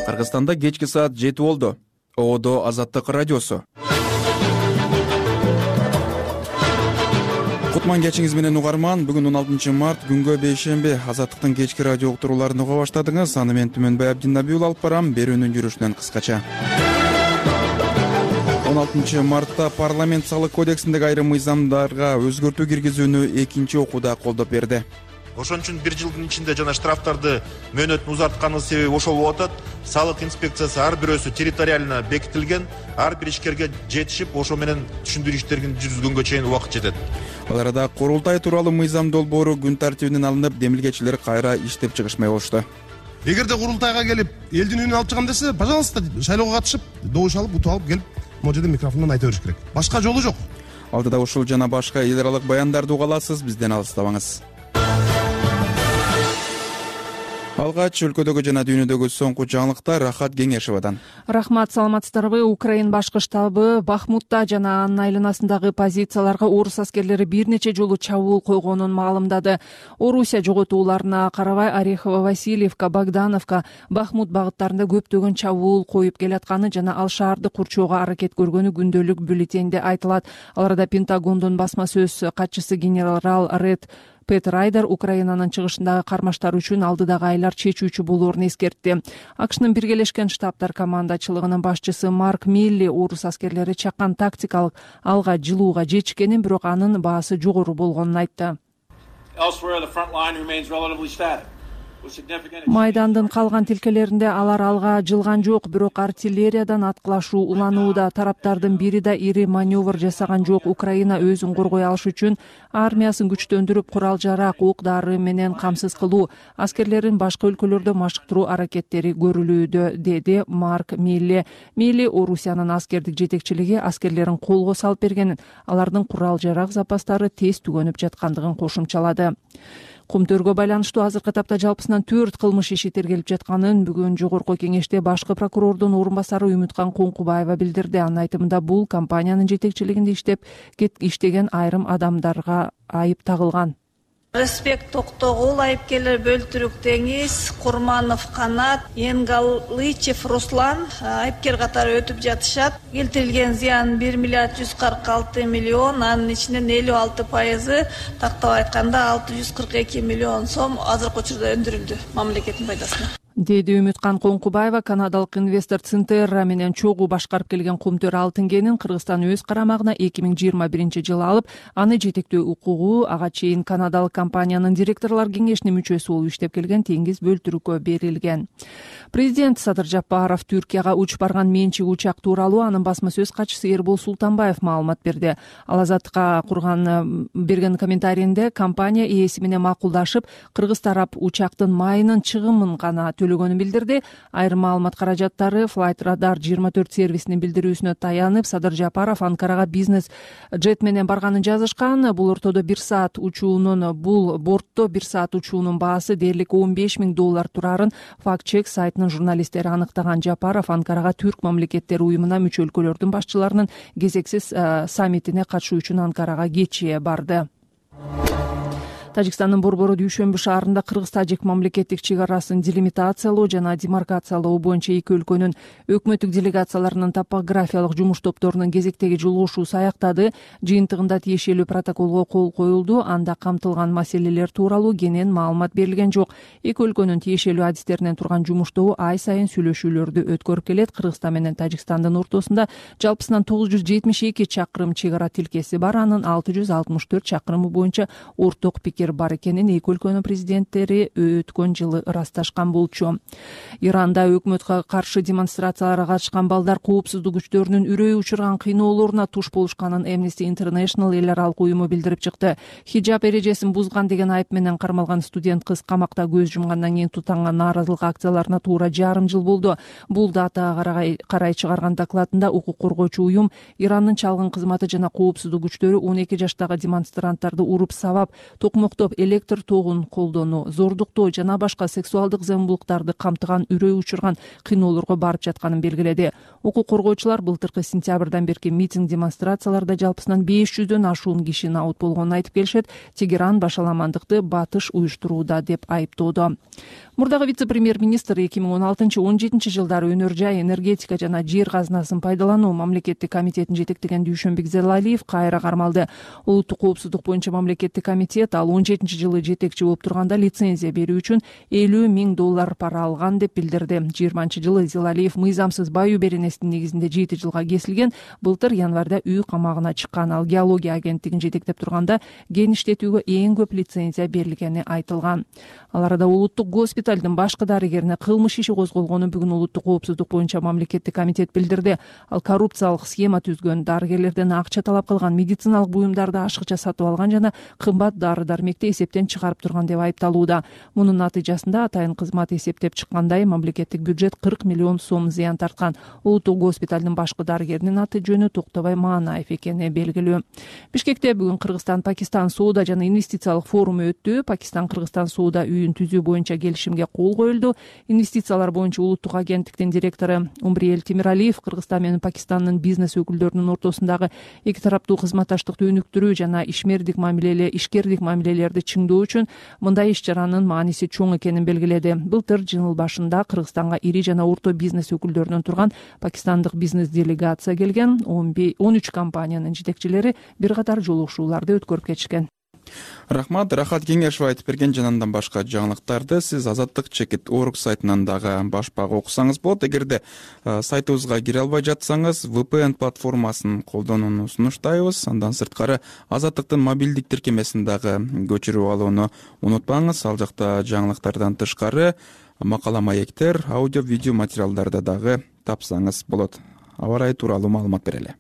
Кыргызстанда кечки саат 7 болду. ООД Азаттык радиосу. Кутман кечиңиз менен угарман. Бүгүн 16 март күнгө бейшемби. Азаттыктын кечки радио уктурууларын уга баштадыңыз. Аны мен Түмөнбай Абдинабиул алып барам. Берүүнүн жүрүшүнөн кыскача. 16 мартта парламент салык кодексиндеги айрым мыйзамдарга өзгөртүү киргизүүнү экинчи окууда колдоп берди. Ошон үчүн бир жылдын ичинде жана штрафтарды мөөнөтүн узартканыбыз себеби ошол болуп атат. Салык инспекциясы ар бирөөсү территориально бекитилген, ар бир ишкерге жетишип, ошо менен түшүндүрүү иштерин жүргүзгөнгө чейин убакыт жетет. Ал арада курултай тууралуу мыйзам долбоору күн тартибинен алынып, демилгечилер кайра иштеп чыгышмай болушту. Эгерде курултайга келип, элдин үнүн алып чыгам десе, пожалуйста, шайлоого катышып, добуш алып, утуп алып келип, могу жерде микрофондон айта бериш керек. Башка жолу жок. Алдыда ушул жана башка эл аралык баяндарды уга аласыз, бизден алыстабаңыз. Алгач өлкөдөгү жана дүйнөдөгү соңку жаңылыктар Рахат Кеңешевадан. Рахмат, саламатсыздарбы? Украин башкы штабы Бахмутта жана анын айланасындагы позицияларга орус аскерлери бир нече жолу чабуул койгонун маалымдады. Орусия жоготууларына карабай Орехово, Васильевка, Богдановка, Бахмут багыттарында көптөгөн чабуул коюп келатканы жана ал шаарды курчоого аракет көргөнү күндөлүк бюллетенде айтылат. Ал арада Пентагондун басма сөз катчысы генерал Ред Пет Райдер Украинанын чыгышындагы кармаштар үчүн алдыдагы айлар чечүүчү болоорун эскертти. АКШнын Биргелешкен Штабтар командачылыгынын башчысы Марк Милли орус аскерлери чакан тактикалык алга жылууга жетишкенин, бирок анын баасы жогору болгонун айтты. Майдандын калган тилкелеринде алар алга жылган жок, бирок артиллериядан аткылашуу уланууда. Тараптардын бири да ири маневр жасаган жок. Украина өзүн коргой алыш үчүн армиясын күчтөндүрүп, курал-жарак, ок-дары менен камсыз кылуу, аскерлерин башка өлкөлөрдө машыктыруу аракеттери көрүлүүдө, деди Марк Милли. Милли Орусиянын аскердик жетекчилиги аскерлерин колго салып бергенин, алардын курал-жарак запастары тез түгөнүп жаткандыгын кошумчалады. Кумтөргө байланыштуу азыркы этапта жалпысынан 4 кылмыш иши тергелип жатканын бүгүн жогорку кеңеште башкы прокурордун орун басары Үмүткан Коңкубаева билдирди. Анын айтымында бул компаниянын жетекчилигинде иштеген айрым адамдарга айып тагылган. Респект Токтогул, айыпкерлер Бөлтүрүк Деңиз, Курманов Канат, Енгалычев Руслан айыпкер катары өтүп жатышат. Келтирилген зыян 1 миллиард 146 миллион, анын ичинен 56% тактап айтканда 642 миллион сом азыркы учурда өндүрүлдү мамлекеттин пайдасына, деди Үмүткан Коңкубаева. Канадалык инвестор Цинтерра менен чогуу башкарып келген Кумтөр алтын кенин Кыргызстан өз карамагына 2021-жылы алып, аны жетектөө укугу ага чейин канадалык компаниянын директорлор кеңешинин мүчөсү болуп иштеп келген Теңиз Бөлтүрүккө берилген. Президент Садыр Жапаров Түркияга учуп барган менчик учак тууралуу анын басма сөз катчысы Эрбол Султанбаев маалымат берди. Ал Азаттыкка берген комментарийинде компания ээси менен макулдашып, кыргыз тарап учактын майынын чыгымын гана төлөгөнүн билдирди. Айрым маалымат каражаттары Flight Radar 24 сервисинин билдирүүсүнө таянып, Садыр Жапаров Анкарага бизнес джет менен барганын жазышкан. Бул бортто 1 саат учуунун баасы дээрлик $15,000 турарын факт-чек сайтынын журналисттери аныктаган. Жапаров Анкарага Түрк мамлекеттери уюмуна мүчө өлкөлөрдүн башчыларынын кезексиз саммитине катышуу үчүн Анкарага кечээ барды. Тажикстандын Борбору дүйшөмбү шаарында кыргыз-тажик мамлекеттик чек арасын делимитациялоо жана демаркациялоо боюнча эки өлкөнүн өкмөттүк делегацияларынын топографиялык жумуш топторунун кезектеги жолугушуусу аяктады. Жыйынтыгында тиешелүү протоколго кол коюлду. Анда камтылган маселелер тууралуу кенен маалымат берилген жок. Эки өлкөнүн тиешелүү адистеринен турган жумуш тобу ай сайын сүйлөшүүлөрдү өткөрүп келет. Кыргызстан менен Тажикстандын ортосунда жалпысынан 972 чакырым чек ара тилкеси бар. Анын 664 чакырымы боюнча орток пикир бар экенин эки өлкөнүн президенттери өткөн жылы ырасташкан болчу. Иранда өкмөткө каршы демонстрацияларга катышкан балдар коопсуздук күчтөрүнүн үрөй учурган кыйноолоруна туш болушканын Amnesty International эл аралык уюму билдирип чыкты. Хиджаб эрежесин бузган деген айып менен кармалган студент кыз камакта көз жумгандан кийин тутанган нааразылык акцияларына туура жарым жыл болду. Бул датага карай чыгарган докладында укук коргоочу уюм Ирандын чалгын кызматы жана коопсуздук күчтөрү 12 жаштагы демонстранттарды уруп сабап, токмоктоп электр тогун колдонуу, зордуктоо жана башка сексуалдык зомбулуктарды камтыган үрөй учурган кыйноолорго барып жатканын белгиледи. Укук коргоочулар былтыркы сентябрдан берки митинг демонстрацияларда жалпысынан 500дөн ашуун киши наут болгонун айтып келишет. Тегеран башаламандыкты батыш уюштурууда деп айыптоодо. мурдагы вице-премьер-министр 2016-17 жылдары өнөр жай, энергетика жана жер казынасын пайдалануу мамлекеттик комитетин жетектеген Дүйшөнбек Зелалиев кайра кармалды. Улуттук коопсуздук боюнча мамлекеттик комитет ал 17-жылы жетекчи болуп турганда лицензия берүү үчүн $50,000 пара алган деп билдирди. 20-жылы Зелалиев мыйзамсыз баюу беренесинин негизинде 7 жылга кесилген. Былтыр январда үй камагына чыккан. Ал геология агенттигин жетектеп турганда кен иштетүүгө эң көп лицензия берилгени айтылган. Ал арада улуттук госпиталдын башкы дарыгерине кылмыш иши козголгонун бүгүн улуттук коопсуздук боюнча мамлекеттик комитет билдирди. Ал коррупциялык схема түзгөн, дарыгерлерден акча талап кылган, медициналык буюмдарды ашыкча сатып алган жана кымбат дары-дармекти эсептен чыгарып турган деп айыпталууда. Мунун натыйжасында атайын кызмат эсептеп чыккандай мамлекеттик бюджет 40 миллион сом зыян тарткан. Улуттук госпиталдын башкы дарыгеринин аты жөнү Токтобай Маанаев экени белгилүү. Бишкекте бүгүн Кыргызстан-Пакистан соода жана инвестициялык форуму өттү. Пакистан-Кыргызстан соода үйүн түзүү боюнча келишимге кол коюлду. Инвестициялар боюнча улуттук агенттиктин директору Умбриел Тимиралиев Кыргызстан менен Пакистандын бизнес өкүлдөрүнүн ортосундагы эки тараптуу кызматташтыкты өнүктүрүү жана ишкердик мамилелерди чыңдоо үчүн мындай иш-чаранын мааниси чоң экенин белгиледи. Былтыр жыл башында Кыргызстанга ири жана орто бизнес өкүлдөрүнөн турган пакистандык бизнес делегация келген. 13 компаниянын жетекчилери бир катар жолугушууларды өткөрүп кетишкен. Рахмат, Рахат Кеңешов айтып берген жана андан башка жаңылыктарды сиз Azatlyk.org сайтынан дагы башпак окусаңыз болот. Эгерде сайтыбызга кире албай жатсаңыз, VPN платформасын колдонууну сунуштайбыз. Андан сырткары Азаттыктын мобилдик тиркемесин дагы көчүрүп алууну унутпаңыз. Ал жакта жаңылыктардан тышкары макала маектер, аудио, видео материалдарды дагы тапсаңыз болот. Аба ырайы тууралуу маалымат берели.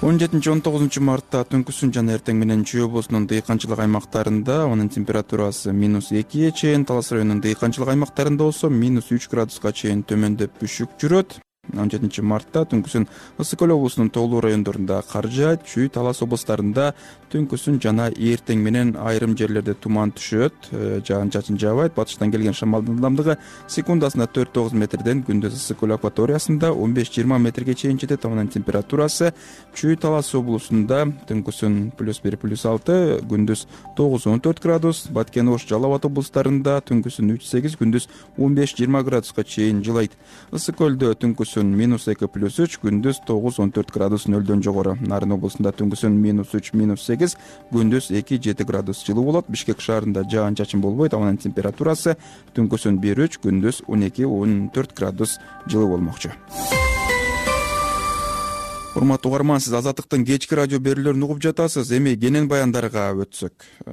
17-19 мартта түнкүсүн жана эртең менен Чүй облусунун дыйканчылык аймактарында анын температурасы -2 чейин, Талас районунун дыйканчылык аймактарында болсо -3 градуска чейин төмөндөп бүшүк жүрөт. 17 мартта түнкүсүн Ысык Көл облусунун тоолуу райондорунда кар жаайт. Чүй, Талас облустарында түнкүсүн жана эртең менен айрым жерлерде туман түшөт, жаан-чачын жаабайт. Батыштан келген шамалдын ылдамдыгы секундасына 4-9 метрден, күндүз Ысык Көл акваториясында 15-20 метрге чейин жетет. Анын температурасы Чүй, Талас облусунда түнкүсүн +1 +6, күндүз 9-14 градус, Баткен, Ош, Жалал Абад облустарында түнкүсүн 3-8, күндүз 15-20 градуска чейин жылайт. Ысык Көлдө түнкүсүн -2 +3, күндүз 9-14 градус нөлдөн жогору. Нарын облусунда түнкүсүн -3 -8, күндүз 2-7 градус жылуу болот. Бишкек шаарында жаан-чачын болбойт. Анын температурасы түнкүсүн 1-3, күндүз 12-14 градус жылуу болмокчу. Урматтуу угарман, сиз Азаттыктын кечки радио берүүлөрүн угуп жатасыз. Эми кенен баяндарга өтсөк.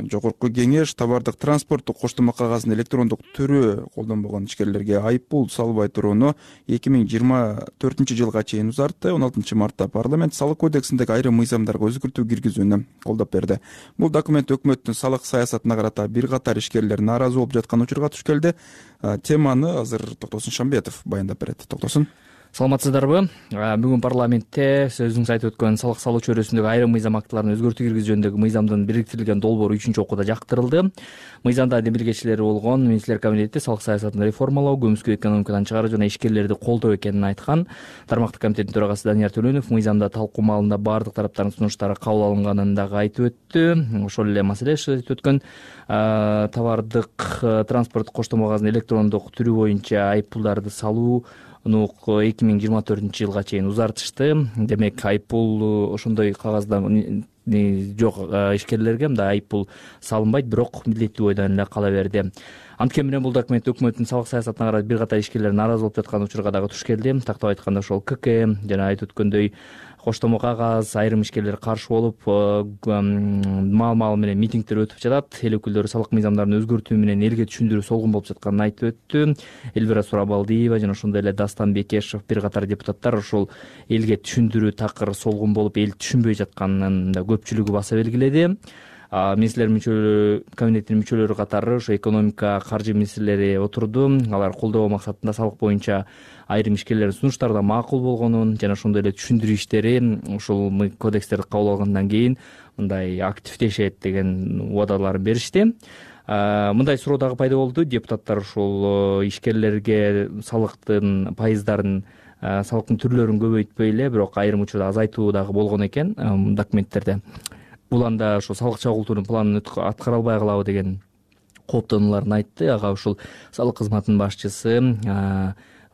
Жогорку кеңеш товардык транспорттук коштомо кагазынын электрондук түрү колдонбогон ишкерлерге айыппул салбай турууну 2024 жылга чейин узартты. 16 мартта парламент салык кодексиндеги айрым мыйзамдарга өзгөртүү киргизүүнү колдоп берди. Бул документ өкмөттүн салык саясатына карата бир катар ишкерлер нааразы болуп жаткан учурга туш келди. Теманы азыр Токтосун Шамбетов баяндап берет. Токтосун. Саламатсыздарбы? Бүгүн парламентте сөзүңүз айтып өткөн салык салуу чөйрөсүндөгү айрым мыйзам актыларын өзгөртүү киргизүү жөнүндөгү мыйзамдын бириктирилген долбоору 3-окууда жактырылды. Мыйзамда демилгечилери болгон Министрлер кабинети салык саясатын реформалоо, көмүскө экономикадан чыгаруу жана ишкерлерди колдоо экенин айткан. Тармактык комитеттин төрагасы Данияр Төлөнов мыйзамда талкуу маалында баардык тараптардын сунуштары кабыл алынганын дагы айтып өттү. Ошол эле маселе айтып өткөн товардык транспорттук коштомо кагазынын электрондук түрү боюнча айыппулдарды салуу 2024 жылга чейин узартышты. Демек, айыппул ошондой кагазда жок ишкерлерге мындай айыппул салынбайт, бирок милдеттүү бойдон эле кала берди. Анткени менен бул документ өкмөттүн салык саясатына карата бир катар ишкерлер нааразы болуп жаткан учурга дагы туш келди. Тактап айтканда ошол КК жана айтып өткөндөй коштомо кагаз айрым ишкерлер каршы болуп, маал менен митингдер өтүп жатат. Эл өкүлдөрү салык мыйзамдарын өзгөртүү менен элге түшүндүрүү солгун болуп жатканын айтып өттү. Элвира Сурабалдиева жана ошондой эле Дастан Бекешев, бир катар депутаттар ошол элге түшүндүрүү такыр солгун болуп, эл түшүнбөй жатканын да көпчүлүгү баса белгиледи. Министрлер кабинетинин мүчөлөрү катары ошо экономика, каржы министрлери отурду. Алар колдоо максатында салык боюнча айрым ишкерлердин сунуштары да макул болгонун жана ошондой эле түшүндүрүү иштери ушул кодекстерди кабыл алгандан кийин мындай активдешет деген убадаларын беришти. Мындай суроо дагы пайда болду. Депутаттар ушул ишкерлерге салыктын пайыздарын, салыктын түрлөрүн көбөйтпөй эле, бирок айрым учурда азайтуу дагы болгон экен документтерде. Бул анда ошо салык чогултуунун планын аткара албай калабы деген кооптонуларын айтты. Ага ушул салык кызматынын башчысы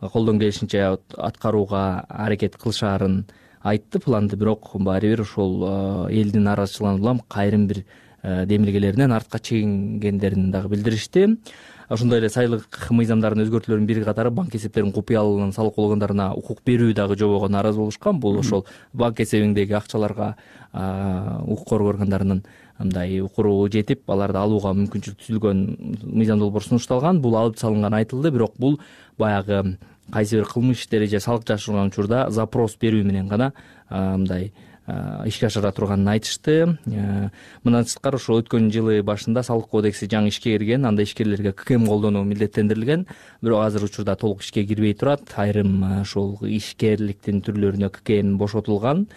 колдон келишинче аткарууга аракет кылышаарын айтты планды. Бирок баары бир ошол элдин нараазычылыгынан улам айрым бир демилгелеринен артка чегингендерин дагы билдиришти. Ошондой эле сайлык мыйзамдарынын өзгөртүүлөрүнүн бир катары банк эсептеринин купуялыгын салык органдарына укук берүү дагы жобого нааразы болушкан. Бул ошол банк эсебиңдеги акчаларга укук коргоо органдарынын мындай укуру жетип, аларды алууга мүмкүнчүлүк түзүлгөн мыйзам долбоор сунушталган. Бул алып салынганы айтылды, бирок бул баягы кайсы бир кылмыш иштери же салык жашырган учурда запрос берүү менен гана мындай ишке ашыра турганын айтышты. Мындан сырткары ошол өткөн жылы башында салык кодекси жаңы ишке кирген, анда ишкерлерге ККМ колдонуу милдеттендирилген. Бирок азыр учурда толук ишке кирбей турат. Айрым ошол ишкерликтин түрлөрүнө ККМ бошотулган.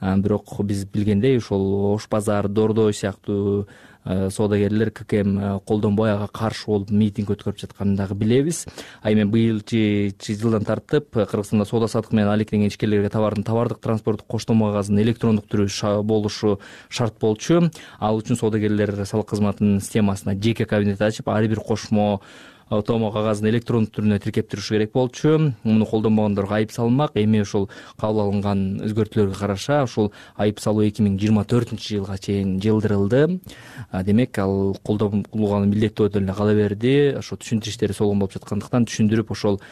Бирок биз билгендей ошол ош базар, дордой сыяктуу соодагерлер ККМ колдонбой ага каршы болуп митинг өткөрүп жатканын дагы билебиз. Эми быйылчы жылдан тартып Кыргызстанда соода саттык менен алектенген ишкерлерге товардын товардык транспорттук коштомо кагазынын электрондук түрү болушу шарт болчу. Ал үчүн соодагерлер салык кызматынын системасына жеке кабинет ачып, ар бир кошмо томоо кагазын электрондук түрүнө тиркеп турушу керек болчу. Муну колдонбогондорго айып салынмак. Эми ошол кабыл алынган өзгөртүүлөргө караша ошол айып салуу 2024-жылга чейин жылдырылды. Демек ал колдонулганын милдеттүү эле кала берди. Ошо түшүндүрүү иштери солон болуп жаткандыктан түшүндүрүп ошол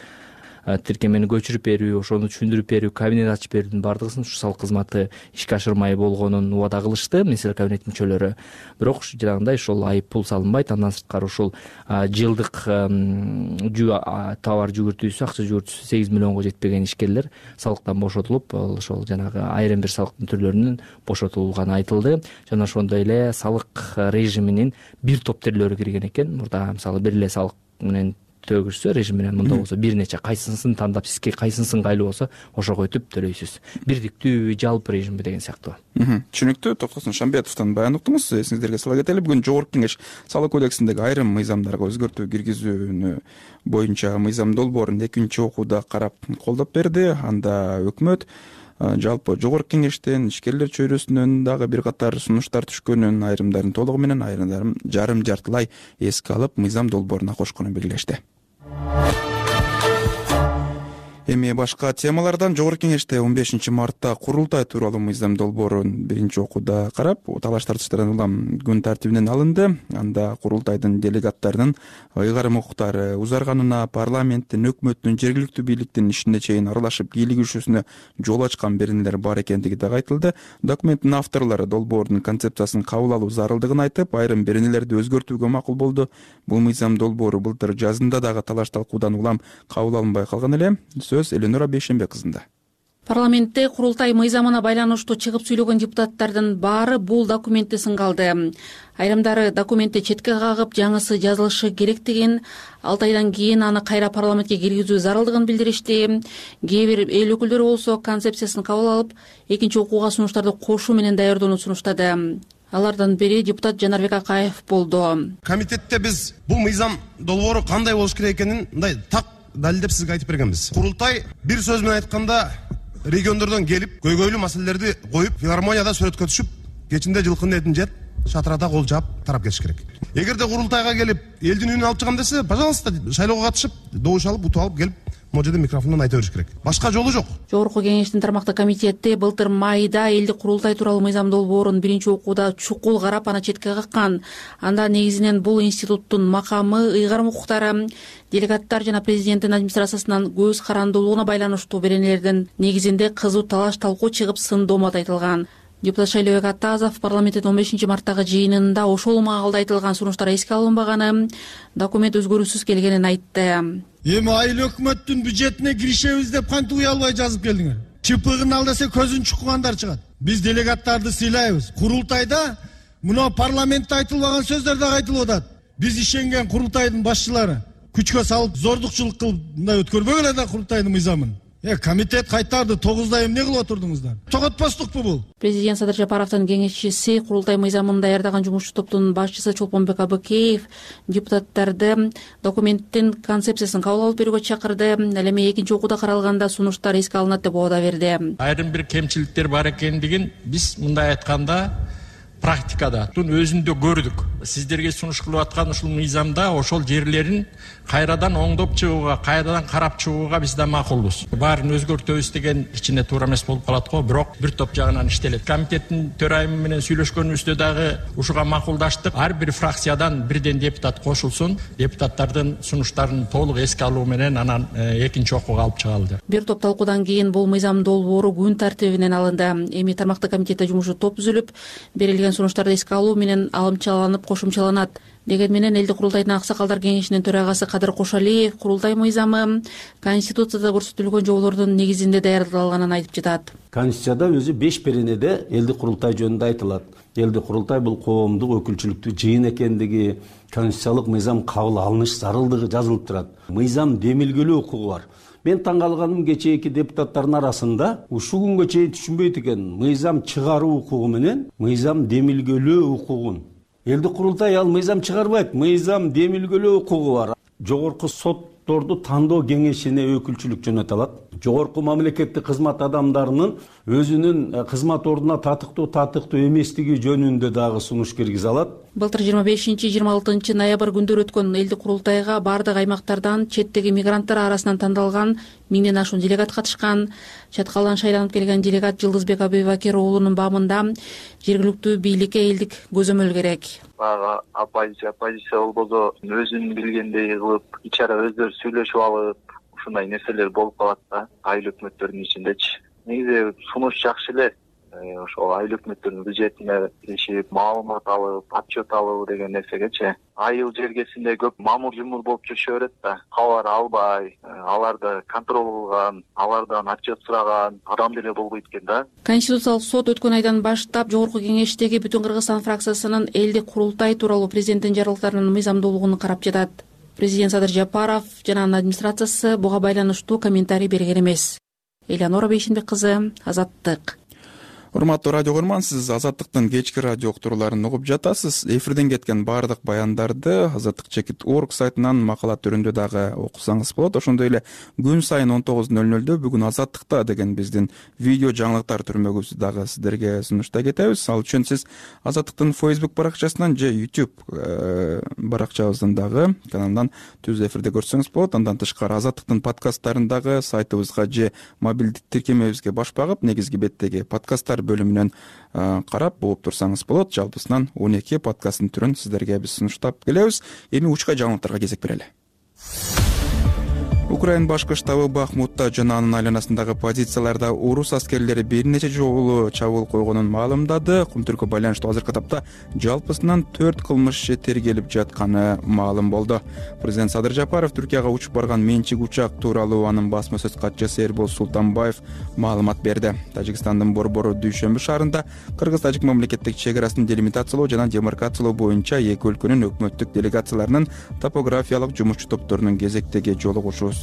тиркемени көчүрүп берүү, ошону түшүндүрүп берүү, кабинет ачып берүүнүн бардыгысын ушу салык кызматы ишке ашырмай болгонун убада кылышты министрлер кабинет мүчөлөрү. Бирок жанагындай ошол айып пул салынбайт. Андан сырткары ушул жылдык товар жүгүртүүсү, акча жүгүртүүсү 8 миллионго жетпеген ишкерлер салыктан бошотулуп, ошол жанагы айрым бир салыктын түрлөрүнүн бошотулганы айтылды. Жана ошондой эле салык режиминин бир топ тилдери кирген экен. Мурда мисалы бир эле салык менен төгүрсө режим менен, мында болсо бир нече кайсынысын тандап, сизге кайсынысын кайлуу болсо ошого өтүп төлөйсүз. Бирдиктүү жалпы режимби деген сыяктуу. Түшүнүктүү. Токтосун Шамбетовдон баян уктуңуз. Эсиңиздерге сала кетели, бүгүн Жогорку Кеңеш салык кодексиндеги айрым мыйзамдарга өзгөртүү киргизүүнү боюнча мыйзам долбоорун экинчи окууда карап колдоп берди. Анда өкмөт жалпы Жогорку Кеңештен ишкерлер чөйрөсүнөн дагы бир катар сунуштар түшкөнүн, айрымдарын толугу менен, айрымдарын жарым жартылай эске алып, мыйзам долбооруна кошконун белгилешти. Эми башка темалардан Жогорку Кеңеште 15 мартта курултай тууралуу мыйзам долбоорун биринчи окууда карап, талаш тартыштардан улам күн тартибинен алынды. Анда курултайдын делегаттарынын ыйгарым укуктары узарганына, парламенттин, өкмөттүн, жергиликтүү бийликтин ишине чейин аралашып кийлигишүүсүнө жол ачкан беренелер бар экендиги дагы айтылды. Документтин авторлору долбоордун концепциясын кабыл алуу зарылдыгын айтып, айрым беренелерди өзгөртүүгө макул болду. Бул мыйзам долбоору былтыр жазында дагы талаш талкуудан улам кабыл алынбай калган эле. Эленора Бейшембек кызында. Парламентте курултай мыйзамына байланыштуу чыгып сүйлөгөн депутаттардын баары бул документти сынгалды. Айрымдары документти четке кагып, жаңысы жазылышы керектигин, 6 айдан кийин аны кайра парламентке киргизүү зарылдыгын билдиришти. Кээ бир эл өкүлдөрү болсо концепциясын кабыл алып, экинчи окууга сунуштарды кошуу менен даярдоону сунуштады. Алардан бири депутат Жанарбек Акаев болду. Комитетте биз бул мыйзам долбоору кандай болуш керек экенин мындай так далилдеп сизге айтып бергенбиз. Курултай бир сөз менен айтканда региондордон келип, көйгөйлүү маселелерди коюп, филармонияда сүрөткө түшүп, кечинде жылкынын этин жеп, шатырада кол жаап тарап кетиш керек. Эгерде курултайга келип, элдин үнүн алып чыгам десе, пожалуйста, шайлоого катышып, добуш алып, утуп алып келип, могу жерде микрофондон айта бериш керек. Башка жолу жок. Жогорку Кеңештин тармактык комитети былтыр майда элдик курултай тууралуу мыйзам долбоорун биринчи окууда чукул карап, аны четке каккан. Анда негизинен бул институттун макамы, ыйгарым укуктары, делегаттар жана президенттин администрациясынан көз карандуулугуна байланыштуу беренелердин негизинде кызуу талаш талкуу чыгып, сын доомат айтылган. Депутат Шайлообек Атазов парламенттин 15 марттагы жыйынында ошол маалда айтылган сунуштар эске алынбаганы, документ өзгөрүүсүз келгенин айтты. Эми айыл өкмөттүн бюджетине киришебиз деп кантип уя албай жазып келдиңер? Чыпыгын ал десе көзүн чукугандар чыгат. Биз делегаттарды сыйлайбыз. Курултайда мына парламентте айтылбаган сөздөр дагы айтылып атат. Биз ишенген курултайдын башчылары күчкө салып, зордукчулук кылып мындай өткөрбөгүлө да курултайдын мыйзамын. Комитет кайтарды 9 эмне кылып отурдуңуздар? Тоготпостукпу бул? Президент Садыр Жапаровдун кеңешчиси, курултай мыйзамын даярдаган жумушчу топтун башчысы Чолпонбек Абыкеев депутаттарды документтин концепциясын кабыл алып берүүгө чакырды. Ал эми экинчи окууда каралганда сунуштар эске алынат деп убада берди. Айрым бир кемчиликтер бар экендигин биз мындай айтканда практикада өзүндө көрдүк. Сиздерге сунуш кылып аткан ушул мыйзамда ошол жерлерин кайрадан оңдоп чыгууга, кайрадан карап чыгууга биз да макулбуз. Баарын өзгөртөбүз деген кичине туура эмес болуп калат го, бирок бир топ жагынан иштелет. Комитеттин төрайымы менен сүйлөшкөнүбүздө дагы ушуга макулдаштык. Ар бир фракциядан бирден депутат кошулсун, депутаттардын сунуштарын толук эске алуу менен анан экинчи окууга алып чыгалы деп. Бир топ талкуудан кийин бул мыйзам долбоору күн тартибинен алынды. Эми тармактык комитетте жумушу топ түзүлүп, берилген сунуштарды эске алуу менен алымчаланып кошумчаланат. Деген менен элдик курултайдын аксакалдар кеңешинин төрагасы Кадыр Кошалиев курултай мыйзамы Конституцияда көрсөтүлгөн жоболордун негизинде даярдалганын айтып жатат. Конституцияда өзү 5 перенеде элдик курултай жөнүндө айтылат. Элдик курултай бул коомдук өкүлчүлүктүү жыйын экендиги, конституциялык мыйзам кабыл алыныш зарылдыгы жазылып турат. Мыйзам демилгелөө укугу бар. Мен таң калганым кечээки депутаттардын арасында ушул күнгө чейин түшүнбөйт экен. Мыйзам чыгаруу укугу менен мыйзам демилгелөө укугун. Элдик курултай ал мыйзам чыгарбайт, мыйзам демилгелөө укугу бар. Жогорку сотторду тандоо кеңешине өкүлчүлүк жөнөтө алат. Жогорку мамлекеттик кызмат адамдарынын өзүнүн кызмат ордуна татыктуу эместиги жөнүндө дагы сунуш киргизе алат. Былтыр 25-26 ноябрь күндөрү өткөн элдик курултайга бардык аймактардан четтеги мигранттар арасынан тандалган 1000ден ашуун делегат катышкан. Чаткалдан шайланып келген делегат Жылдызбек Абубакир уулунун баамында жергиликтүү бийликке элдик көзөмөл керек. Бага оппозиция болбосо өзүн билгендей кылып, ичара өздөрү сүйлөшүп алып, ушундай нерселер болуп калат да айыл өкмөттөрдүн ичиндечи. Негизи сунуш жакшы эле. Ошол айыл өкмөттөрдүн бюджетине киришип, маалымат алып, отчет алуу деген нерсегечи. Айыл жергесинде көп мамур-жумур болуп жүрүшө берет да. Кабар албай, аларды контроль кылган, алардан отчет сураган адам деле болбойт экен да. Конституциялык сот өткөн айдан баштап Жогорку кеңештеги Бүтүн Кыргызстан фракциясынын элдик курултай тууралуу президенттин жарыялыктарынын мыйзамдуулугун карап жатат. Президент Садыр Жапаров жана анын администрациясы буга байланыштуу комментарий берген эмес. Элянора Бейшенбек кызы, Азаттык. Урматтуу радио көрман, сиз Азаттыктын кечки радио уктурууларын угуп жатасыз. Эфирден кеткен баардык баяндарды azattik.org сайтынан макала түрүндө дагы окусаңыз болот. Ошондой эле күн сайын 19:00 бүгүн Азаттыкта деген биздин видео жаңылыктар түрмөгүбүздү дагы сиздерге сунуштай кетебиз. Ал үчүн сиз Азаттыктын Facebook баракчасынан же YouTube баракчабыздан дагы каналдан түз эфирде көрсөңүз болот. Андан тышкары Азаттыктын подкасттарын дагы сайтыбызга же мобилдик тиркемебизге баш багып, негизги беттеги подкасттар бөлүмүнөн карап угуп турсаңыз болот. Жалпысынан 12 подкасттын түрүн сиздерге биз сунуштап келебиз. Эми учка жаңылыктарга кезек берели. Украина башкы штабы Бахмутта жана анын айланасындагы позицияларда орус аскерлери бир нече жолу чабуул койгонун маалымдады. Кумтүрккө байланыштуу азыркы тапта жалпысынан 4 кылмыш иши тергелип жатканы маалым болду. Президент Садыр Жапаров Түркияга учуп барган менчик учак тууралуу анын басма сөз катчысы Эрбол Султанбаев маалымат берди. Тажикстандын Борбору Дүйшөмбү шаарында Кыргыз-Тажик мамлекеттик чек арасын делимитациялоо жана демаркациялоо боюнча эки өлкөнүн өкмөттүк делегацияларынын топографиялык жумушчу топторунун кезектеги жолугушуусу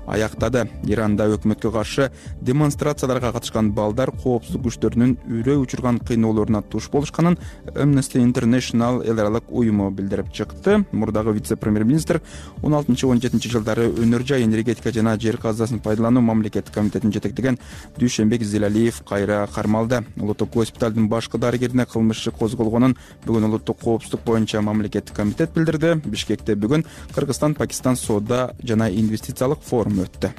аяктады. Иранда өкмөткө каршы демонстрацияларга катышкан балдар коопсуздук күчтөрүнүн үрөө учурган кыйноолоруна туш болушканын Amnesty International эл аралык уюму билдирип чыкты. Мурдагы вице-премьер-министр 16-17 жылдары өнөр жай энергетика жана жер казасын пайдалануу мамлекеттик комитетин жетектеген Дүйшөнбек Зилалиев кайра кармалды. Улуттук госпиталдын башкы дарыгерине кылмыш иши козголгонун бүгүн улуттук коопсуздук боюнча мамлекеттик комитет билдирди. Бишкекте бүгүн Кыргызстан-Пакистан соода жана инвестициялык форум өттү.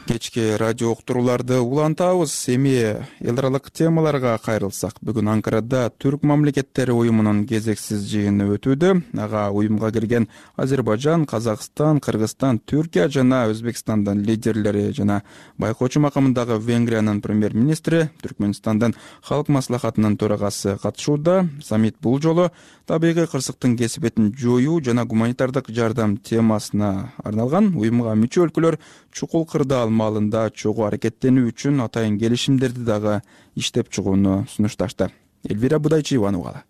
Кечки радио уктурууларды улантабыз. Эми эл аралык темаларга кайрылсак, бүгүн Анкарада Түрк мамлекеттери уюмунун кезексиз жыйыны өтүүдө. Ага уюмга кирген Азербайжан, Казакстан, Кыргызстан, Түркия жана Өзбекстандын лидерлери жана байкоочу макамындагы Венгриянын премьер-министри, Түркмөнстандын Халык маслахатынын төрагасы катышууда. Саммит бул жолу табигый кырсыктын кесипетин жоюу жана гуманитардык жардам темасына арналган. Уюмга мүчө өлкөлөр чукул кырдаал маалында чогуу аракеттенүү үчүн атайын келишимдерди дагы иштеп чыгууну сунушташты. Элвира Будайчиеванын угалы.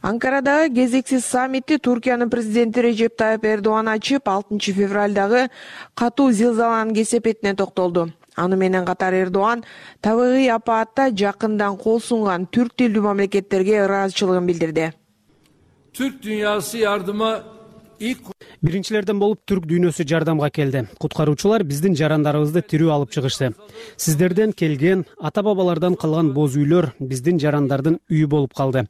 Анкарадагы кезексиз саммитти Туркиянын президенти Режеп Тайып Эрдоган ачып, 6 февралдагы катуу зилзаланын кесепетине токтолду. Аны менен катар Эрдоган табигый апаатта жакындан кол сунган түрк тилдүү мамлекеттерге ыраазычылыгын билдирди. Türk dünyası yardıma ilk Биринчилерден болуп түрк дүйнөсү жардамга келди. Куткаруучулар биздин жарандарыбызды тирүү алып чыгышты. Сиздерден келген, ата бабалардан калган боз үйлөр биздин жарандардын үйү болуп калды.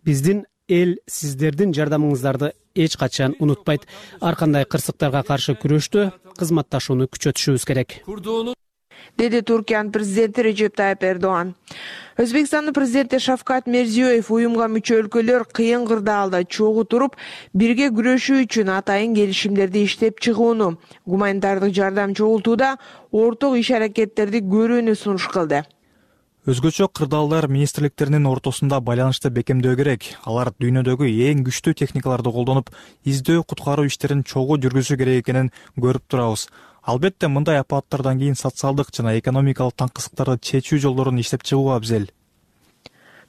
Биздин эл сиздердин жардамыңыздарды эч качан унутпайт. Ар кандай кырсыктарга каршы күрөштө кызматташууну күчөтүшүбүз керек, деди Туркиянын президенти Режеп Тайып Эрдоан. Өзбекстандын президенти Шавкат Мирзиёев уюмга мүчө өлкөлөр кыйын кырдаалда чогуу туруп, бирге күрөшүү үчүн атайын келишимдерди иштеп чыгууну, гуманитардык жардам чогултууда орток иш-аракеттерди көрүүнү сунуш кылды. Өзгөчө кырдаалдар министрликтеринин ортосунда байланышты бекемдөө керек. Алар дүйнөдөгү эң күчтүү техникаларды колдонуп, издөө куткаруу иштерин чогуу жүргүзүү керек экенин көрүп турабыз. Албетте мындай апаттардан кийин социалдык жана экономикалык таңкысыктарды чечүү жолдорун иштеп чыгуу абзел.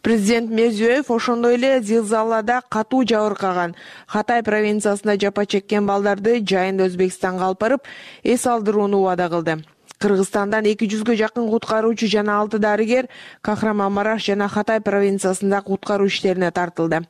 Президент Мирзиёев ошондой эле зилзалада катуу жабыркаган Хатай провинциясында жапа чеккен балдарды жайында Өзбекстанга алып барып, эс алдырууну убада кылды. Кыргызстандан 200гө жакын куткаруучу жана 6 дарыгер Кахрамамараш жана Хатай провинциясында куткаруу иштерине тартылды.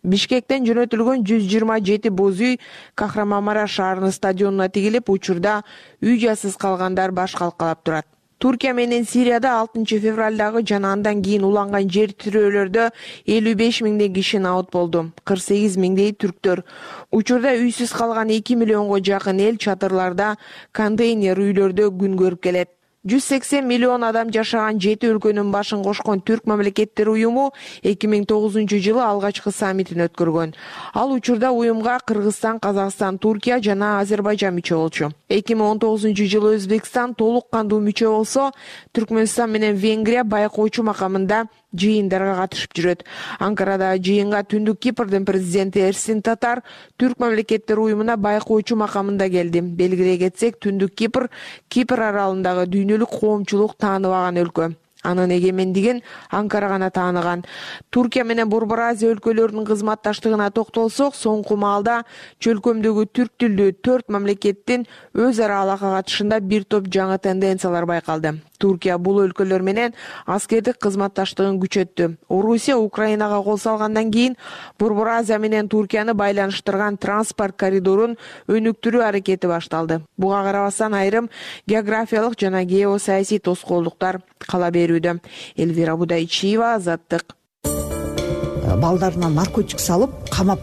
Бишкектен жөнөтүлгөн 127 боз үй Кахрамамараш шаарынын стадионуна тигилип, учурда үй жайсыз калгандар баш калкалап турат. Туркия менен Сирияда 6 февралдагы жана андан кийин уланган жер тирөөлөрдө 55 миңдей киши набыт болду. 48 миңдей түрктөр. Учурда үйсүз калган 2 миллионго жакын эл чатырларда, контейнер үйлөрдө күн көрүп келет. 180 миллион адам жашаган 7 өлкөнүн башын кошкон Түрк мамлекеттери уюму 2009-жылы алгачкы саммитин өткөргөн. Ал учурда уюмга Кыргызстан, Казакстан, Туркия жана Азербайжан мүчө болчу. 2019-жылы Өзбекстан толук кандуу мүчө болсо, Түркмөнстан менен Венгрия байкоочу макамында жыйындарга катышып жүрөт. Анкарада жыйынга Түндүк Кипрдин президенти Эрсин Татар Түрк мамлекеттери уюмуна байкоочу макамында келди. Белгилей кетсек, Түндүк Кипр аралындагы дүйнөлүк коомчулук тааныбаган өлкө. Анын эгемендигин Анкара гана тааныган. Туркия менен Борбор Азия өлкөлөрүнүн кызматташтыгына токтолсок, соңку маалда чөлкөмдөгү түрк тилдүү 4 мамлекеттин өз ара алака катышында бир топ жаңы тенденциялар байкалды. Туркия бул өлкөлөр менен аскердик кызматташтыгын күчөттү. Орусия Украинага кол салгандан кийин Борбор Азия менен Туркияны байланыштырган транспорт коридорун өнүктүрүү аракети башталды. Буга карабастан айрым географиялык жана геосаясий тоскоолдуктар кала берүүдө. Элвира Будайчиева, Азаттык. Балдарына наркотик салып, камап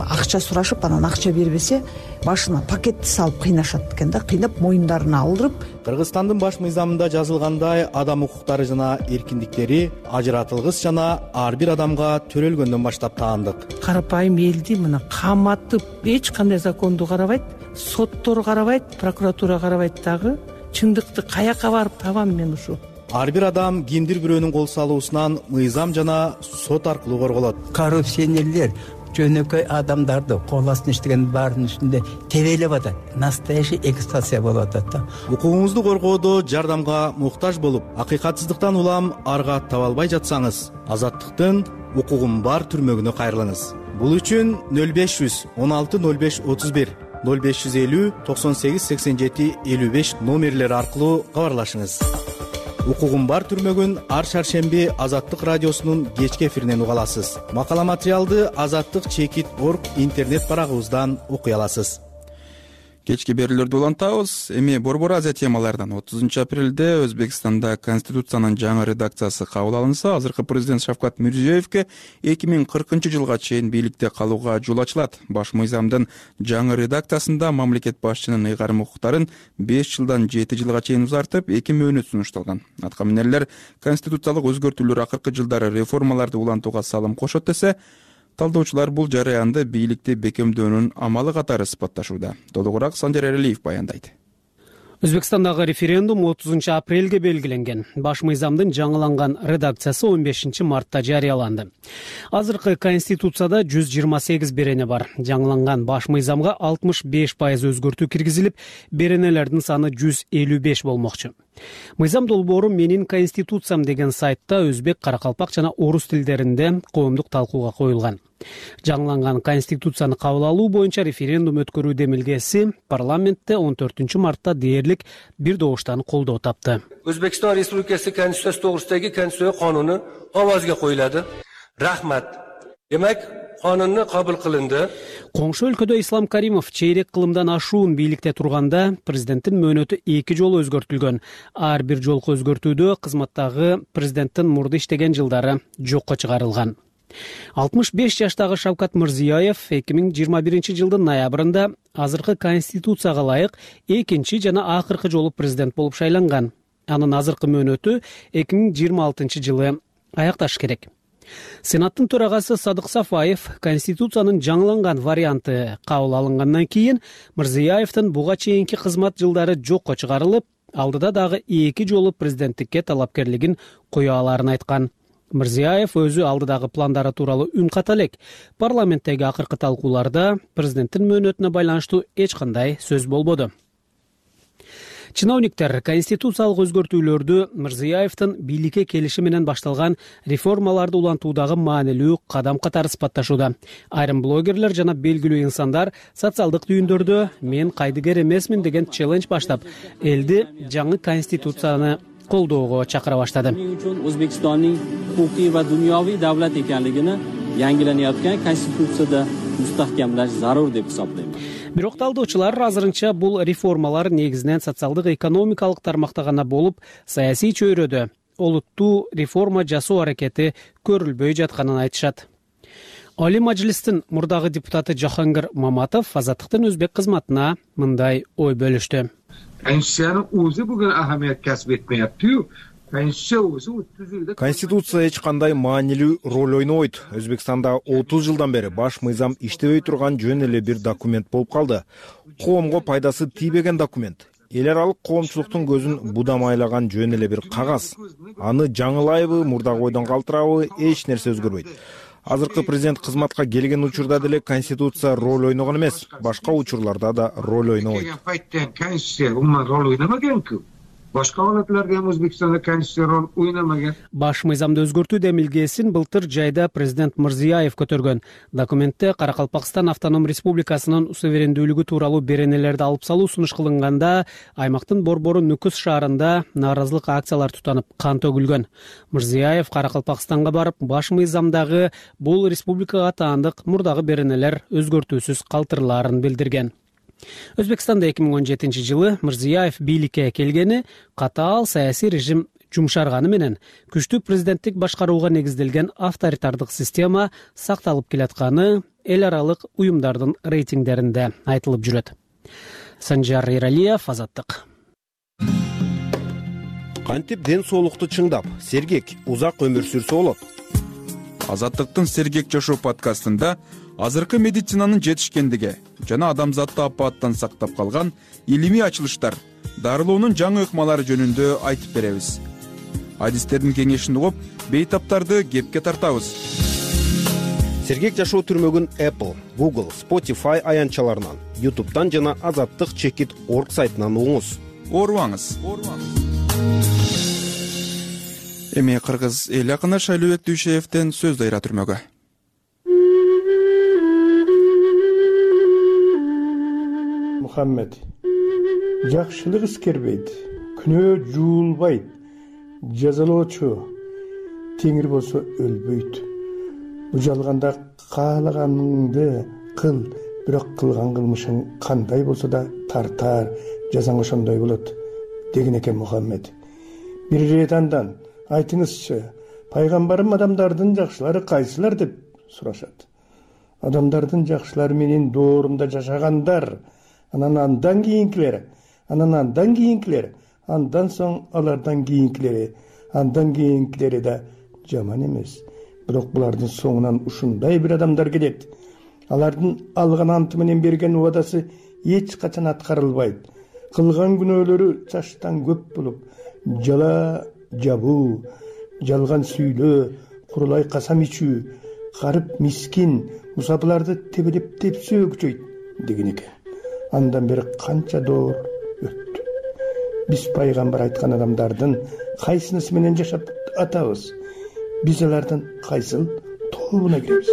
акча сурашып, анан акча бербесе, башына пакетти салып кыйнашат экен да, кыйнап моюндарына алдырып. Кыргызстандын баш мыйзамында жазылгандай, адам укуктары жана эркиндиктери ажыратылгыс жана ар бир адамга төрөлгөндөн баштап таандык. Карапайым элди мына каматып, эч кандай законду карабайт, соттор карабайт, прокуратура карабайт дагы. Чындыкты каяка барып табам мен ушу? Ар бир адам кимдир бирөөнүн кол салуусунан мыйзам жана сот аркылуу корголот. Коррупционерлер жөнөкөй адамдарды кол астына иштеген баардын үстүндө тебелеп атат. Настоящий эксплуатация болуп атат да. Укугуңузду коргоодо жардамга муктаж болуп, акыйкатсыздыктан улам арга таба албай жатсаңыз, Азаттыктын укугум бар түрмөгүнө кайрылыңыз. Бул үчүн 0500 16 05 31 0550 98 87 55 номерлери аркылуу кабарлашыңыз. Укугум бар түрмөгүн ар шаршемби Азаттык радиосунун кечки эфиринен уга аласыз. Макала материалды azattik.org интернет барагыбыздан окуй аласыз. Кечки берүүлөрдү улантабыз. Эми Борбор Азия темаларынан 30 апрелде Өзбекстанда Конституциянын жаңы редакциясы кабыл алынса, азыркы президент Шавкат Мирзиёевке 2040-жылга чейин бийликте калууга жол ачылат. Баш мыйзамдын жаңы редакциясында мамлекет башчынын ыйгарым укуктарын 5 жылдан 7 жылга чейин узартып, 2 мөөнөт сунушталган. Аткаминерлер конституциялык өзгөртүүлөр акыркы жылдары реформаларды улантууга салым кошот десе, талдоочулар бул жараянды бийликти бекемдөөнүн амалы катары сыпатташууда. Толугураак Санжар Эралиев баяндайт. Өзбекстандагы референдум 30 апрелге белгиленген. Баш мыйзамдын жаңыланган редакциясы 15 мартта жарыяланды. Азыркы конституцияда 128 берене бар. Жаңыланган баш мыйзамга 65% өзгөртүү киргизилип, беренелердин саны 155 болмокчу. Мыйзам долбоору менин конституциям деген сайтта өзбек, каракалпак жана орус тилдеринде коомдук талкууга коюлган. Жаңыланган конституцияны кабыл алуу боюнча референдум өткөрүү демилгеси парламентте 14 мартта дээрлик бир добуштан колдоо тапты. Өзбекстан Республикасы Конституциясы тогрусудагы Конституция кануну овозго коюлады. Рахмат. Демек, qonunni qabul qilindi. Коңшу өлкөдө Ислам Каримов чейрек кылымдан ашуун бийликте турганда президенттин мөөнөтү 2 жолу өзгөртүлгөн. Ар бир жолку өзгөртүүдө кызматтагы президенттин мурда иштеген жылдары жокко чыгарылган. 65 жаштагы Шавкат Мирзиёев 2021 жылдын ноябрында азыркы конституцияга ылайык 2 жана акыркы жолу президент болуп шайланган. Анын азыркы мөөнөтү 2026 жылы аякташ керек. Сенаттын төрагасы Садык Сафаев конституциянын жаңыланган варианты кабыл алынгандан кийин Мирзиёевдин буга чейинки кызмат жылдары жокко чыгарылып, алдыда дагы 2 жолу президенттикке талапкерлигин кое аларын айткан. Мирзиёев өзү алдыдагы пландары тууралуу үн ката элек. Парламенттеги акыркы талкууларда президенттин мөөнөтүнө байланыштуу эч кандай сөз болбоду. Чиновниктер конституциялык өзгөртүүлөрдү Мирзиёевдин бийликке келиши менен башталган реформаларды улантуудагы маанилүү кадам катары сыпатташууда. Айрым блогерлер жана белгилүү инсандар социалдык түйүндөрдө мен кайдыгер эмесмин деген челлендж баштап, элди жаңы конституцияны колдоого чакыра баштады. O'zbekistonning huquqiy va dunyoviy davlat ekanligini yangilanayotgan konstitutsiyada mustahkamlash zarur deb hisoblayman. Бирок талдоочулар азырынча бул реформалар негизинен социалдык экономикалык тармакта гана болуп, саясий чөйрөдө олуттуу реформа жасоо аракети көрүлбөй жатканын айтышат. Али Мажлистин мурдагы депутаты Жахангир Маматов Азаттыктын өзбек кызматына мындай ой бөлүштү. Konstitusiyanın o'zi bugun ahamiyat kasb etmayapti-yu. Конституция эч кандай маанилүү роль ойнобойт. Өзбекстанда 30 жылдан бери баш мыйзам иштебей турган жөн эле бир документ болуп калды. Коомго пайдасы тийбеген документ. Эл аралык коомчулуктун көзүн будамайлаган жөн эле бир кагаз. Аны жаңылайбы, мурдагы ойдон калтырабы, эч нерсе өзгөрбөйт. Азыркы президент кызматка келген учурда деле конституция роль ойногон эмес, башка учурларда да роль ойнобойт. Konstitusiya umuman rol o'ynamagan-ku. Boshqa holatlarda ham O'zbekistonda konstitutsiya rol o'ynamagan. Баш мыйзамды өзгөртүү демилгесин былтыр жайда президент Мирзиёев көтөргөн. Документте Каракалпакстан автоном республикасынын суверендүүлүгү тууралуу беренелерди алып салуу сунуш кылынганда, аймактын борбору Нүкүс шаарында нааразылык акциялар тутанып, кан төгүлгөн. Мирзиёев Каракалпакстанга барып, баш мыйзамдагы бул республикага таандык мурдагы беренелер өзгөртүүсүз калтырылаарын билдирген. Өзбекстанда 2017 жылы Мирзиёев бийликке келгени катаал саясий режим жумшарганы менен күчтүү президенттик башкарууга негизделген авторитардык система сакталып келатканы эл аралык уюмдардын рейтингдеринде айтылып жүрөт. Санжар Иралиев, Азаттык. Кантип ден соолукту чыңдап, сергек, узак өмүр сүрсө болот? Азаттыктын Сергек жашоо подкастында азыркы медицинанын жетишкендиги жана адамзатты апааттан сактап калган илимий ачылыштар, дарылоонун жаңы ыкмалары жөнүндө айтып беребиз. Адистердин кеңешин угуп, бейтаптарды кепке тартабыз. Сергек жашоо түрмөгүн Apple, Google, Spotify аянтчаларынан, YouTube'дан жана azattik.org сайтынан угуңуз. Оорубаңыз. Эми кыргыз эл акыны Шайлообек Дүйшеевден сөз дайра түрмөгө. Мухаммед, жакшылык искербейт, күнөө жуулбайт, жазалоочу теңир болсо өлбөйт. Бужалганда каалаганыңды кыл, бирок кылган кылмышың кандай болсо да тартар, жазаң ошондой болот деген экен Мухаммед. Бир ирет андан айтыңызчы, пайгамбарым адамдардын жакшылары кайсылар деп сурашат. Адамдардын жакшылары менен доорунда жашагандар, андан кийинкилери, андан соң алардан кийинкилери да жаман эмес. Бирок булардын соңунан ушундай бир адамдар келет. Алардын алган анты менен берген убадасы эч качан аткарылбайт. Кылган күнөөлөрү чаштан көп болуп, жала жабуу, жалган сүйлөө, курулай касам ичүү, карып мискин, мусапыларды тебелеп тепсөө күчөйт деген экен. Андан бери канча доор өттү. Биз пайгамбар айткан адамдардын кайсынысы менен жашап атабыз? Биз алардын кайсыл тобуна киребиз?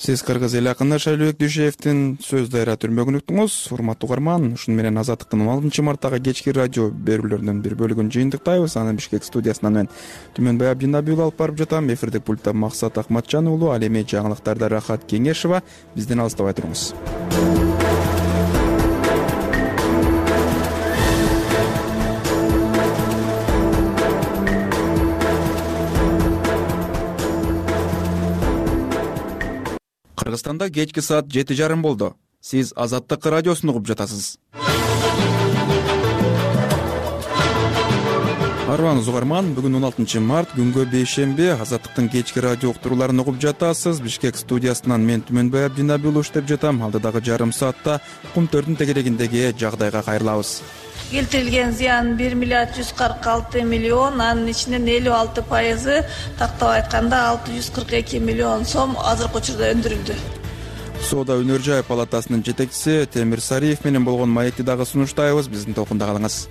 Сиз кыргыз эл акыны Шайлообек Дүйшеевдин сөз дайратөрүн уктуңуз. Урматтуу угарман, ушуну менен Азаттыктын 16 марттагы кечки радио берүүлөрүнүн бир бөлүгүн жыйынтыктайбыз. Аны Бишкек студиясынан мен Түмөнбай Абдинабиул алып барып жатам. Эфирдик пультта Максат Акматжан уулу, ал эми жаңылыктарда Рахат Кеңешова. Бизден алыстабай туруңуз. Кыргызстанда кечки саат 7:30 болду. Сиз Азаттык радиосун угуп жатасыз. Арбаңыз угарман, бүгүн 16 март, күнгө бейшемби, Азаттыктын кечки радио уктурууларын угуп жатасыз. Бишкек студиясынан мен Түмөнбай Абдинабиул иштеп жатам. Алдыдагы жарым саатта Кумтөрдүн тегерегиндеги жагдайга кайрылабыз. Келтирилген зыян 1 миллиард 146 миллион, анын ичинен 56% тактап айтканда 642 миллион сом азыркы учурда өндүрүлдү. Соода өнөр жай палатасынын жетекчиси Темир Сариев менен болгон маекти дагы сунуштайбыз. Биздин толкунда калыңыз.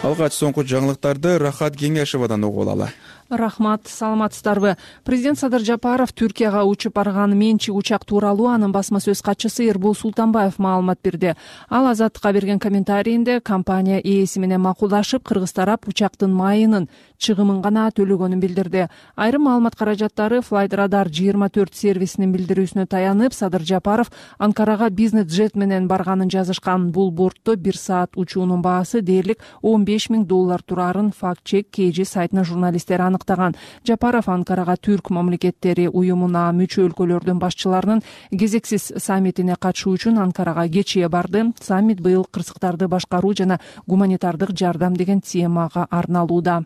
Алгач соңку жаңылыктарды Рахат Кеңешовадан угуп алалы. Рахмат, саламатсыздарбы? Президент Садыр Жапаров Түркияга учуп барган менчик учак тууралуу анын басма сөз катчысы Эрбол Султанбаев маалымат берди. Ал Азаттыкка берген комментарийинде компания ээси менен макулдашып, кыргыз тарап учактын майынын чыгымын гана төлөгөнүн билдирди. Айрым маалымат каражаттары Flight Radar 24 сервисинин билдирүүсүнө таянып, Садыр Жапаров Анкарага бизнес-джет менен барганын жазышкан. Бул бортто 1 саат учуунун баасы дээрлик $15 000 турарын факт-чек KG сайтына журналисттер аныктаган. Жапаров Анкарага Түрк мамлекеттери уюмуна мүчө өлкөлөрдүн башчыларынын кезексиз саммитине катышуу үчүн Анкарага кечээ барды. Саммит быйыл кырсыктарды башкаруу жана гуманитардык жардам деген темага арналууда.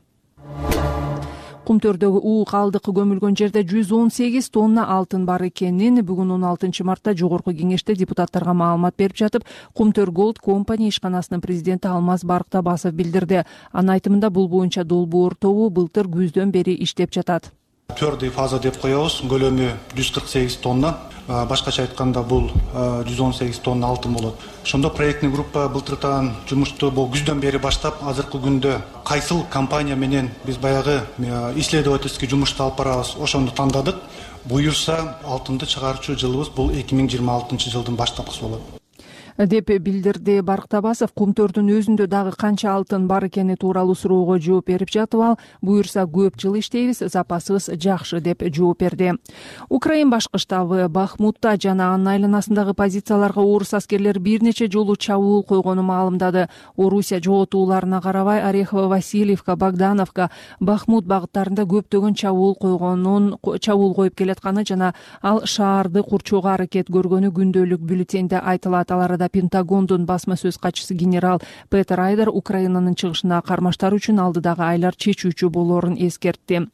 Кумтөрдөгү уу калдык көмүлгөн жерде 118 тонна алтын бар экенин бүгүн 16 мартта жогорку кеңеште депутаттарга маалымат берип жатып, Кумтөр Gold Company ишканасынын президенти Алмаз Барктабасов билдирди. Анын айтымында бул боюнча долбоор тобу былтыр күздөн бери иштеп жатат. Твердый фаза деп коебуз, көлөмү 148 тонна. Башкача айтканда бул 118 тонна алтын болот. Ошондо проектный группа былтыртан жумушту бул күздөн бери баштап, азыркы күндө кайсыл компания менен биз баягы исследовательский жумушту алып барабыз, ошону тандадык. Буюрса, алтынды чыгаруучу жылыбыз бул 2026 жылдын баштапкысы болот деп билдирди Барктабасов. Кумтөрдүн өзүндө дагы канча алтын бар экени тууралуу суроого жооп берип жатып, ал буюрса көп жыл иштейбиз, запасыбыз жакшы деп жооп берди. Украин башкы штабы Бахмутта жана анын айланасындагы позицияларга орус аскерлери бир нече жолу чабуул койгонун маалымдады. Орусия жоготууларына карабай Орехово, Васильевка, Богдановка, Бахмут багыттарында көптөгөн чабуул коюп келатканы жана ал шаарды курчоого аракет көргөнү күндөлүк бюллетенде айтылат. Аларда Пентагондун басма сөз катчысы генерал Петер Айдар Украинанын чыгышына кармаштар үчүн алдыдагы айлар чечүүчү болоорун эскертти.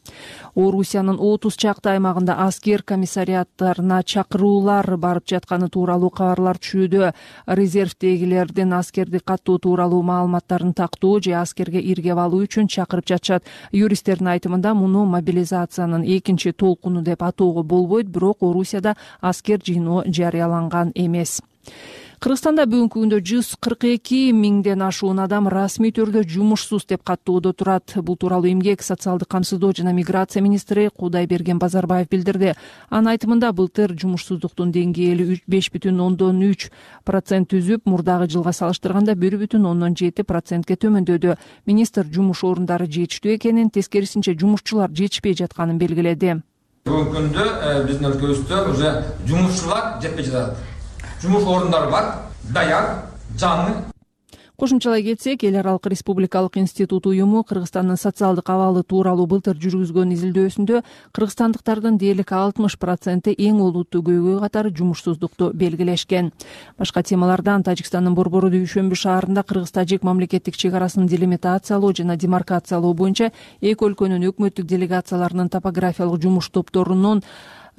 Орусиянын 30 чакты аймагында аскер комиссариаттарына чакыруулар барып жатканы тууралуу кабарлар түшүүдө. Резервдегилердин аскерди каттоо тууралуу маалыматтарын тактоо же аскерге иргеп алуу үчүн чакырып жатышат. Юристтердин айтымында муну мобилизациянын экинчи толкуну деп атоого болбойт, бирок Орусияда аскер жыйноо жарыяланган эмес. Кыргызстанда бүгүнкү күндө 142 миңден ашуун адам расмий түрдө жумушсуз деп каттоодо турат. Бул тууралуу эмгек, социалдык камсыздоо жана миграция министри Кудайберген Базарбаев билдирди. Анын айтымында былтыр жумушсуздуктун деңгээли 5,3% түзүп, мурдагы жылга салыштырганда 1,7%ге төмөндөдү. Министр жумуш орундары жетиштүү экенин, тескерисинче жумушчулар жетишпей жатканын белгиледи. Бүгүнкү күндө биздин өлкөбүздө уже жумушчулар жетпей жатат. Жумуш орундары бар, даяр, жаңы. Кошумчалай кетсек, Эл аралык республикалык институт уюму Кыргызстандын социалдык абалы тууралуу былтыр жүргүзгөн изилдөөсүндө кыргызстандыктардын дээрлик 60% эң олуттуу көйгөй катары жумушсуздукту белгилешкен. Башка темалардан Тажикстандын Борбору Дүйшөмбү шаарында кыргыз-тажик мамлекеттик чек арасын делимитациялоо жана демаркациялоо боюнча эки өлкөнүн өкмөттүк делегацияларынын топографиялык жумуш топторунун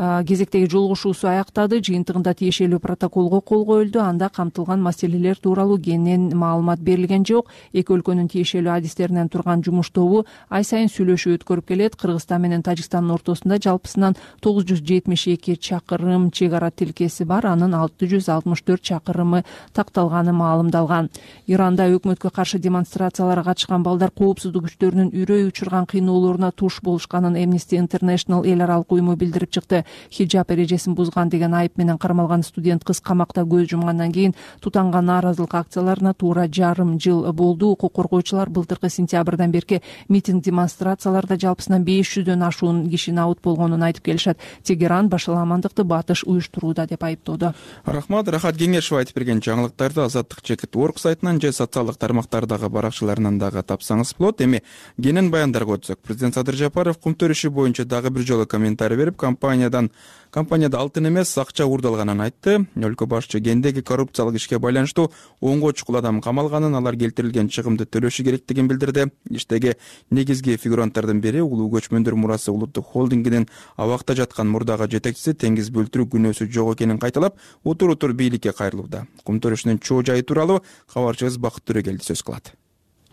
кезектеги жолугушуусу аяктады. Жыйынтыгында тиешелүү протоколго кол коюлду. Анда камтылган маселелер тууралуу кенен маалымат берилген жок. Эки өлкөнүн тиешелүү адистеринен турган жумуш тобу ай сайын сүйлөшүү өткөрүп келет. Кыргызстан менен Тажикстандын ортосунда жалпысынан 972 чакырым чек ара тилкеси бар. Анын 664 чакырымы такталганы маалымдалган. Иранда өкмөткө каршы демонстрацияларга катышкан балдар коопсуздук күчтөрүнүн үрөй учурган кыйноолоруна туш болушканын Amnesty International эл аралык уюму билдирип чыкты. Хиджаб эрежесин бузган деген айып менен кармалган студент кыз камакта көз жумгандан кийин тутанган нааразылык акцияларына туура жарым жыл болду. Укук коргоочулар былтыркы сентябрдан берки митинг демонстрацияларда жалпысынан 500дөн ашуун киши набыт болгонун айтып келишет. Тегеран башаламандыкты батыш уюштурууда деп айыптоодо. Рахмат. Рахат Кеңешова айтып берген жаңылыктарды Азаттык.org сайтынан же социалдык тармактардагы баракчаларынан дагы тапсаңыз болот. Эми кенен баяндарга өтсөк, президент Садыр Жапаров кумтөр иши боюнча дагы бир жолу комментарий берип, компанияда алтын эмес акча уурдалганын айтты. Өлкө башчы кендеги коррупциялык ишке байланыштуу онго чукул адам камалганын, алар келтирилген чыгымды төлөшү керектигин билдирди. Иштеги негизги фигуранттардын бири улуу көчмөндөр мурасы улуттук холдингинин абакта жаткан мурдагы жетекчиси теңиз бөлтүрүү күнөөсү жок экенин кайталап, утур бийликке кайрылууда. Кумтөр ишинин чоо жайы тууралуу кабарчыбыз Бакыт Төрөгелди сөз кылат.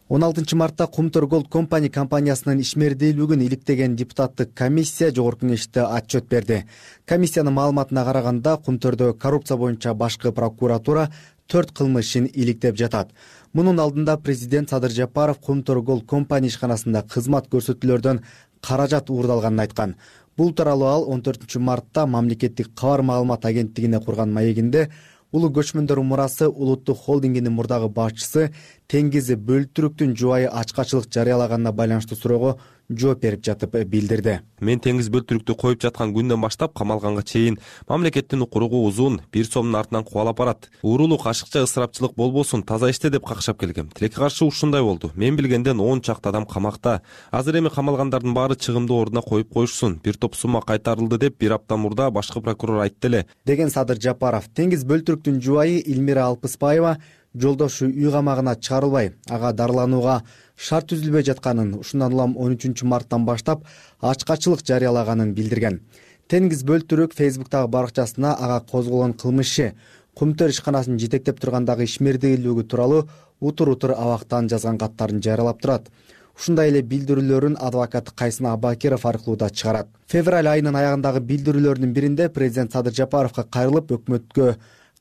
16 мартта Кумтөр Gold Company компаниясынын ишмердүүлүгүн иликтеген депутаттык комиссия жогорку кеңеште отчет берди. Комиссиянын маалыматына караганда, Кумтөрдө коррупция боюнча башкы прокуратура 4 кылмышын иликтеп жатат. Мунун алдында президент Садыр Жапаров Кумтөр Gold Company ишканасында кызмат көрсөтүүлөрдөн каражат уурдалганын айткан. Бул тууралуу ал 14 мартта мамлекеттик кабар маалымат агенттигине курган маегинде улуу көчмөндөр мурасы улуттук холдингинин мурдагы башчысы Теңиз Бөлтүрүктүн жубайы ачкачылык жарыялаганына байланыштуу суроого жооп берип жатып билдирди. Мен Теңиз Бөлтүрүктү коюп жаткан күндөн баштап камалганга чейин мамлекеттин укуругу узун, бир сомдун артынан кубалап барат. Уурулук, ашыкча ысырапчылык болбосун, таза иште деп какшап келгем. Тилекке каршы ушундай болду. Мен билгенден 10 чакты адам камакта. Азыр эми камалгандардын баары чыгымды ордуна коюп коюшсун. Бир топ сумма кайтарылды деп бир апта мурда башкы прокурор айтты эле, деген Садыр Жапаров. Теңиз Бөлтүрүктүн жубайы Илмира Алпыспаева жолдошу үй камагына чыгарылбай, ага дарыланууга шарт түзүлбөй жатканын, ушундан улам 13 марттан баштап ачкачылык жарыялаганын билдирген. Теңиз Бөлтүрүк Facebook'тагы баракчасына ага козголгон кылмышы, Кумтөр ишканасын жетектеп тургандагы ишмердүүлүгү тууралуу утур абактан жазган каттарын жарыялап турат. Ушундай эле билдирүүлөрүн адвокат Кайсын Абакиров аркылуу да чыгарат. Февраль айынын аягындагы билдирүүлөрдүн биринде президент Садыр Жапаровго кайрылып, өкмөткө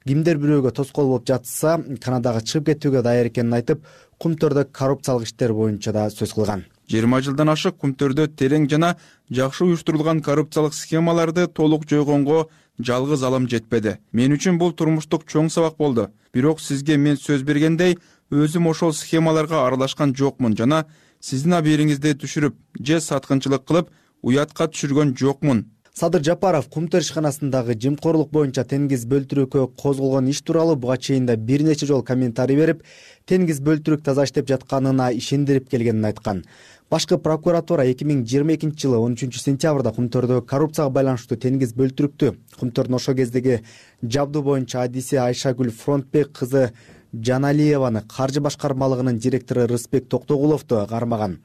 кимдер бирөөгө тоскоол болуп жатса, Канадага чыгып кетүүгө даяр экенин айтып, Кумтөрдө коррупциялык иштер боюнча да сөз кылган. 20 жылдан ашык Кумтөрдө терең жана жакшы уюштурулган коррупциялык схемаларды толук жойгонго жалгыз алым жетпеди. Мен үчүн бул турмуштук чоң сабак болду. Бирок сизге мен сөз бергендей, өзүм ошол схемаларга аралашкан жокмун жана сиздин абийириңизди түшүрүп же саткынчылык кылып уятка түшүргөн жокмун. Садыр Жапаров Кумтөр ишканасындагы жымкорлук боюнча Теңиз Бөлтүрүккө козголгон иш тууралуу буга чейин да бир нече жолу комментарий берип, Теңиз Бөлтүрүк таза иштеп жатканына ишендирип келгенин айткан. Башкы прокуратура 2022 жылы 13 сентябрда Кумтөрдө коррупцияга байланыштуу Теңиз Бөлтүрүктү, Кумтөрдүн ошол кездеги жабдуу боюнча адиси Айшагүл Фронтбек кызы Жаналиеваны, каржы башкармалыгынын директору Рыспек Токтогуловду кармаган.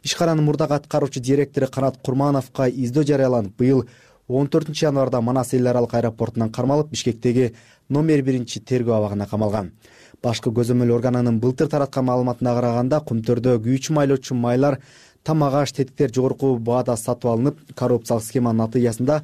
Ишкананын мурдагы аткаруучу директору Канат Курмановго издөө жарыяланып, быйыл 14 январда Манас эл аралык аэропортунан кармалып, Бишкектеги номер 1 тергөө абагына камалган. Башкы көзөмөл органынын былтыр тараткан маалыматына караганда, Кумтөрдө күйүүчү майлоочу майлар, тамак аш, тетиктер жогорку баада сатып алынып, коррупциялык схеманын натыйжасында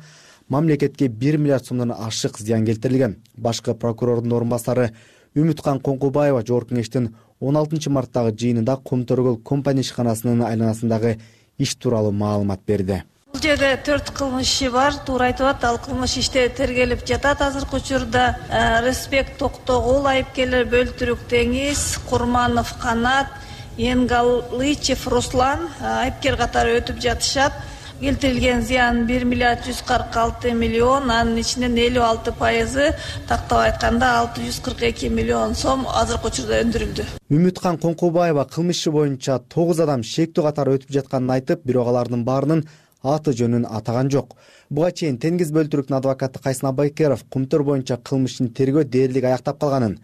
мамлекетке 1 миллиард сомдон ашык зыян келтирилген. Башкы прокурордун орун басары Үмүткан Коңкубаева жогорку кеңештин 16 марттагы жыйынында Кумтөр Gold Company ишканасынын айланасындагы иш тууралуу маалымат берди. Бул жерде 4 кылмыш иши бар, туура айтып атат. Ал кылмыш иште тергелип жатат азыркы учурда. Рыспек Токтогул айыпкерлер Бөлтүрүк Теңиз, Курманов Канат, Енгалычев Руслан айыпкер катары өтүп жатышат. Келтирилген зыян 1 миллиард 146 миллион, анын ичинен 56% тактап айтканда 642 миллион сом азыркы учурда өндүрүлдү. Үмүткан Коңкубаева кылмыш иши боюнча 9 адам шектүү катары өтүп жатканын айтып, бирок алардын баарынын аты жөнүн атаган жок. Буга чейин Теңиз Бөлтүрүктүн адвокаты Кайсын Абакиров Кумтөр боюнча кылмыш ишин тергөө дээрлик аяктап калганын,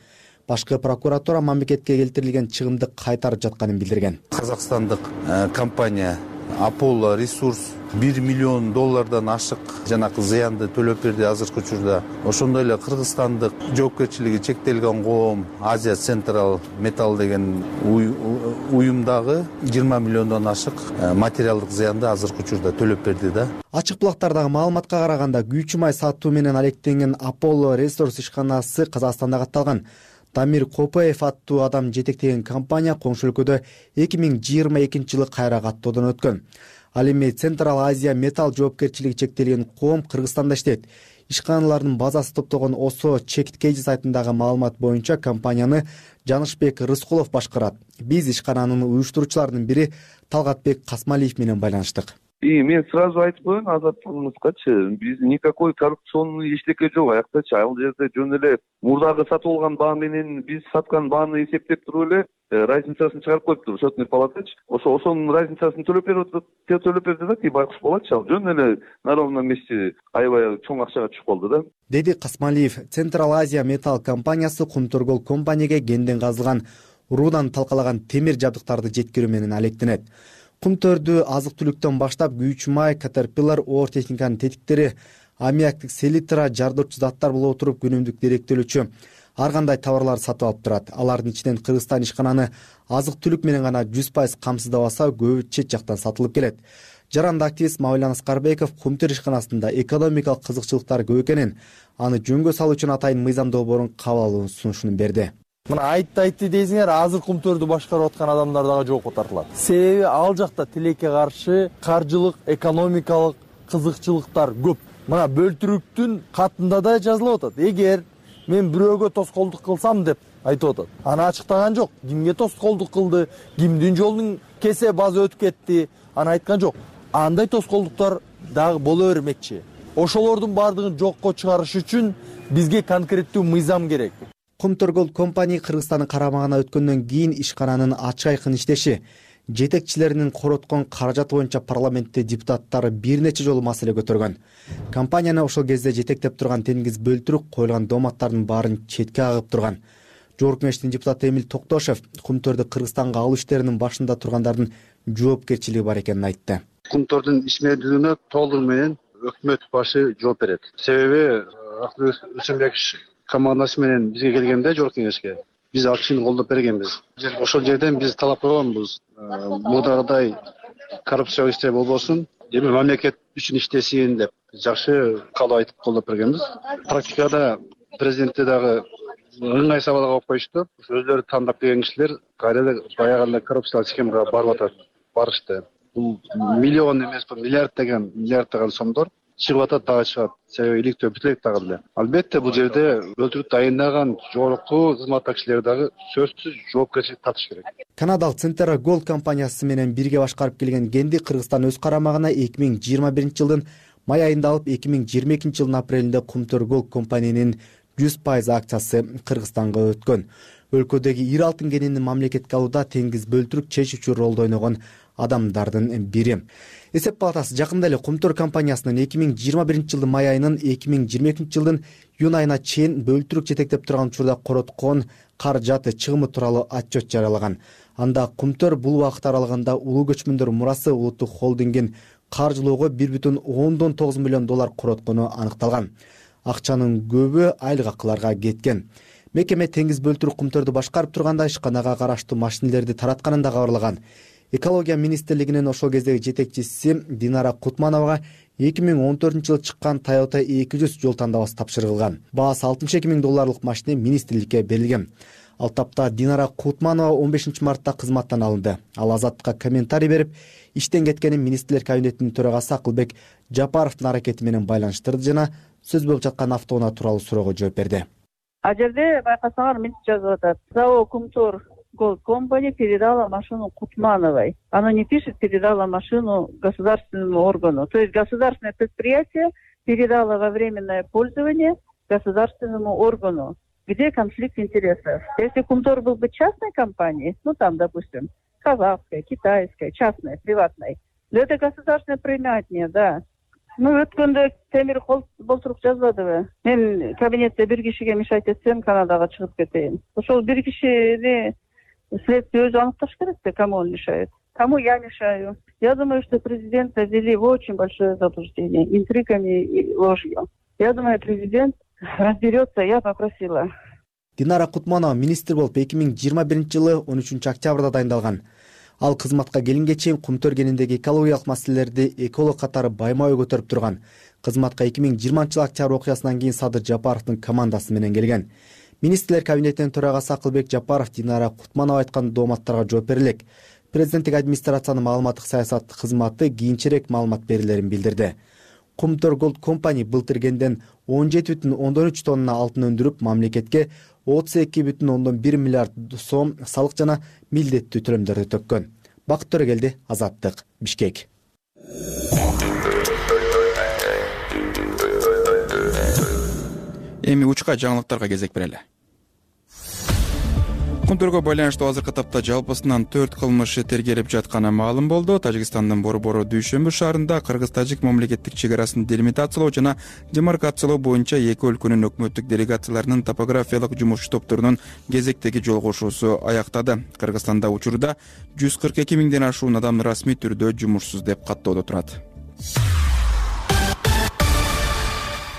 башкы прокуратура мамлекетке келтирилген чыгымды кайтарып жатканын билдирген. Казакстандык компания Apollo Resource $1 миллион ашык жанакы зыянды төлөп берди азыркы учурда. Ошондой эле кыргызстандык жоопкерчилиги чектелген коом Азия Централ Металл деген уюмдагы 20 миллиондон ашык материалдык зыянды азыркы учурда төлөп берди да. Ачык булактардагы маалыматка караганда күйүүчү май сатуу менен алектенген Apollo Resource ишканасы Казакстанда катталган. Дамир Копаев аттуу адам жетектеген компания коңшу өлкөдө 2022-жылы кайра каттоодон өткөн. Ал эми Централ Азия Металл жоопкерчилиги чектелген коом Кыргызстанда иштейт. Ишканалардын базасы топтогон Осо Чекиткейжи сайтындагы маалымат боюнча компанияны Жанышбек Рыскулов башкарат. Биз ишкананын уюштуруучуларынын бири Талгатбек Касмалиев менен байланыштык. И мен сразу айтып коеюн азаттыгыбызгачы, биз никакой коррупционный эчтеке жок аяктачы. Ал жерде жөн эле мурдагы сатып алган баа менен биз саткан бааны эсептеп туруп эле разницасын чыгарып коюптур счетный палатачы. Ошонун разницасын төлөп берди да, байкуш болочу. Ал жөн эле на ровном месте аябай чоң акчага түшүп калды да. Деди Касмалиев. Централ Азия Металл компаниясы Кумтөргөл компанияга кенден казылган уруудан талкалаган темир жабдыктарды жеткирүү менен алектенет. Кумтөрдү азык-түлүктөн баштап күйүүчү май, Caterpillar, оор техниканын тетиктери, аммиактык селитра, жардырчу заттар боло туруп күнүмдүк деректөлүүчү ар кандай товарлар сатып алып турат. Алардын ичинен Кыргызстан ишкананы азык-түлүк менен гана 100% камсыздабаса, көбү чет жактан сатылып келет. Жаранды активист Мавлан Аскарбеков Кумтөр ишканасында экономикалык кызыкчылыктар көп экенин, аны жөнгө салуу үчүн атайын мыйзам долбоорун кабыл алуу сунушун берди. Мына айтты дейсиңер, азыр Кумтөрдү башкарып аткан адамдар дагы жоопко тартылат. Себеби ал жакта тилекке каршы каржылык, экономикалык кызыкчылыктар көп. Мына бөлтүрүктүн катында да жазылып атат. Эгер мен бирөөгө тоскоолдук кылсам деп айтып атат. Аны ачыктаган жок. Кимге тоскоолдук кылды, кимдин жолун кесе база өтүп кетти, аны айткан жок. Андай тоскоолдуктар дагы боло бермекчи. Ошолордун баардыгын жокко чыгарыш үчүн бизге конкреттүү мыйзам керек. Кумтөргөл компания Кыргызстандын карамагына өткөндөн кийин ишкананын ачык айкын иштеши, жетекчилеринин короткон каражаты боюнча парламентте депутаттары бир нече жолу маселе көтөргөн. Компанияны ошол кезде жетектеп турган Тенгиз Бөлтүрүк коюлган дооматтардын баарын четке агып турган. Жогорку Кеңештин депутаты Эмил Токтошев Кумтөрдү Кыргызстанга алуу иштеринин башында тургандардын жоопкерчилиги бар экенин айтты. Кумтөрдүн ишмердүүлүгүнө толугу менен өкмөт башы жооп берет. Себеби Акылбек командасы менен бизге келгенде Жогорку Кеңешке биз ал кишини колдоп бергенбиз. Ошол жерден биз талап койгонбуз. Мурдагыдай коррупциялык иштер болбосун, эми мамлекет үчүн иштесин деп жакшы каалоо айтып колдоп бергенбиз. Практикада президентте дагы ыңгай сабалга коюп коюшту. Өздөрү тандап келген кишилер кайра эле баягы коррупциялык схемага барып атат, барышты. Бул миллион эмес, миллиарддаган сомдор чыгып атат, дагы чыгат. Себеби иликтөө бүтүп элек дагы эле. Албетте бул жерде Бөлтүрүктү айындаган жогорку кызматтагы кишилер дагы сөзсүз жоопкерчилик тартыш керек. Канадалык Центра Голд компаниясы менен бирге башкарып келген кенди Кыргызстан өз карамагына 2021-жылдын май айында алып, 2022-жылдын апрелинде Кумтөр Голд компаниянын 100% акциясы Кыргызстанга өткөн. Өлкөдөгү ири алтын кенинин мамлекетке алууда Тенгиз Бөлтүрүк чечүүчү ролду ойногон адамдардын бири. Эсеп палатасы жакында эле Кумтөр компаниясынын 2021-жылдын май айынан 2022-жылдын июнь айына чейин Бөлтүрүк жетектеп турган учурда короткон каражаты чыгымы тууралуу отчет жарыялаган. Анда Кумтөр бул убакыт аралыгында улуу көчмөндөр мурасы улуттук холдингин каржылоого $1.9 миллион короткону аныкталган. Акчанын көбү айлык акыларга кеткен. Мекеме Тенгиз Бөлтүрүк Кумтөрдү башкарып турганда ишканага караштуу машинелерди таратканын да кабарлаган. Экология министрлигинин ошол кездеги жетекчиси Динара Кутмановага 2014-жылы чыккан Toyota 200 жол тандабасы тапшырылган. Баасы $62 миң машина министрликке берилген. Ал тапта Динара Кутманова 15 мартта кызматтан алынды. Ал Азаттыкка комментарий берип, иштен кеткенин министрлер кабинетинин төрагасы Акылбек Жапаровдун аракети менен байланыштырды жана сөз болуп жаткан автоунаа тууралуу суроого жооп берди. А жерде байкасаңар мынтип жазып атат. ЗАО Кумтөр Голд компания передала машину Кутмановой. Оно не пишет, передала машину государственному органу. То есть государственное предприятие передало во временное пользование государственному органу. Где конфликт интересов? Если Кумтор был бы частной компанией, ну там, допустим, казахской, китайской, частной, приватной, но это государственное предприятие, да. Өткөндө темир болтуруп жазбадыбы? Мен кабинетте бир кишиге мешать этсем, Канадага чыгып кетейин. Ошол бир кишини следствие өзү аныкташ керек да, кому он мешает. Кому я мешаю? Я думаю, что президента ввели в очень большое заблуждение интригами и ложью. Я думаю, президент разберется, я попросила. Динара Кутманова министр болуп 2021-жылы 13-октябрда дайындалган. Ал кызматка келинге чейин кум төргениндеги экологиялык маселелерди эколог катары байма-бай көтөрүп турган. Кызматка 2020-жылы октябрь окуясынан кийин Садыр Жапаровдун командасы менен келген. Министрлер кабинетинин төрагасы Акылбек Жапаров Динара Кутманова айткан дооматтарга жооп бере элек. Президенттик администрациянын маалыматтык саясат кызматы кийинчерээк маалымат берилерин билдирди. Кумтөр Gold Company былтыр кенден 17,3 тонна алтын өндүрүп, мамлекетке 32,1 миллиард сом салык жана милдеттүү төлөмдөрдү төккөн. Бакыт Төрөгелди, Азаттык, Бишкек. Эми учка жаңылыктарга кезек берели. Кумтөргө байланыштуу азыркы тапта жалпысынан 4 кылмыш тергелип жатканы маалым болду. Тажикстандын Борбору Дүйшөмбү шаарында кыргыз-тажик мамлекеттик чек арасын делимитациялоо жана демаркациялоо боюнча эки өлкөнүн өкмөттүк делегацияларынын топографиялык жумуш топторунун кезектеги жолугушуусу аяктады. Кыргызстанда учурда 142 миңден ашуун адам расмий түрдө жумушсуз деп каттоодо турат.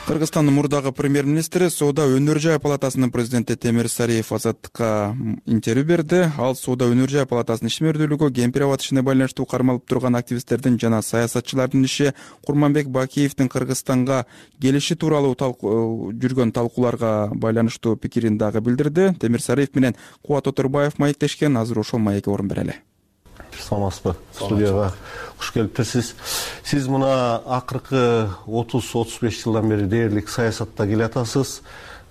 Кыргызстандын мурдагы премьер-министри Соода өнөр жай палатасынын президенти Темир Сариев Азаттыкка интервью берди. Ал Соода өнөр жай палатасынын ишмердүүлүгү, кемпир абад ишине байланыштуу кармалып турган активисттердин жана саясатчылардын иши, Курманбек Бакиевдин Кыргызстанга келиши тууралуу жүргөн талкууларга байланыштуу пикирин дагы билдирди. Темир Сариев менен Кубат Оторбаев маектешкен. Азыр ошол маекке орун берели. Саламатсызбы? Студияга куш келиптирсиз. Сиз мына акыркы 30-35 жылдан бери дээрлик саясатта келатасыз.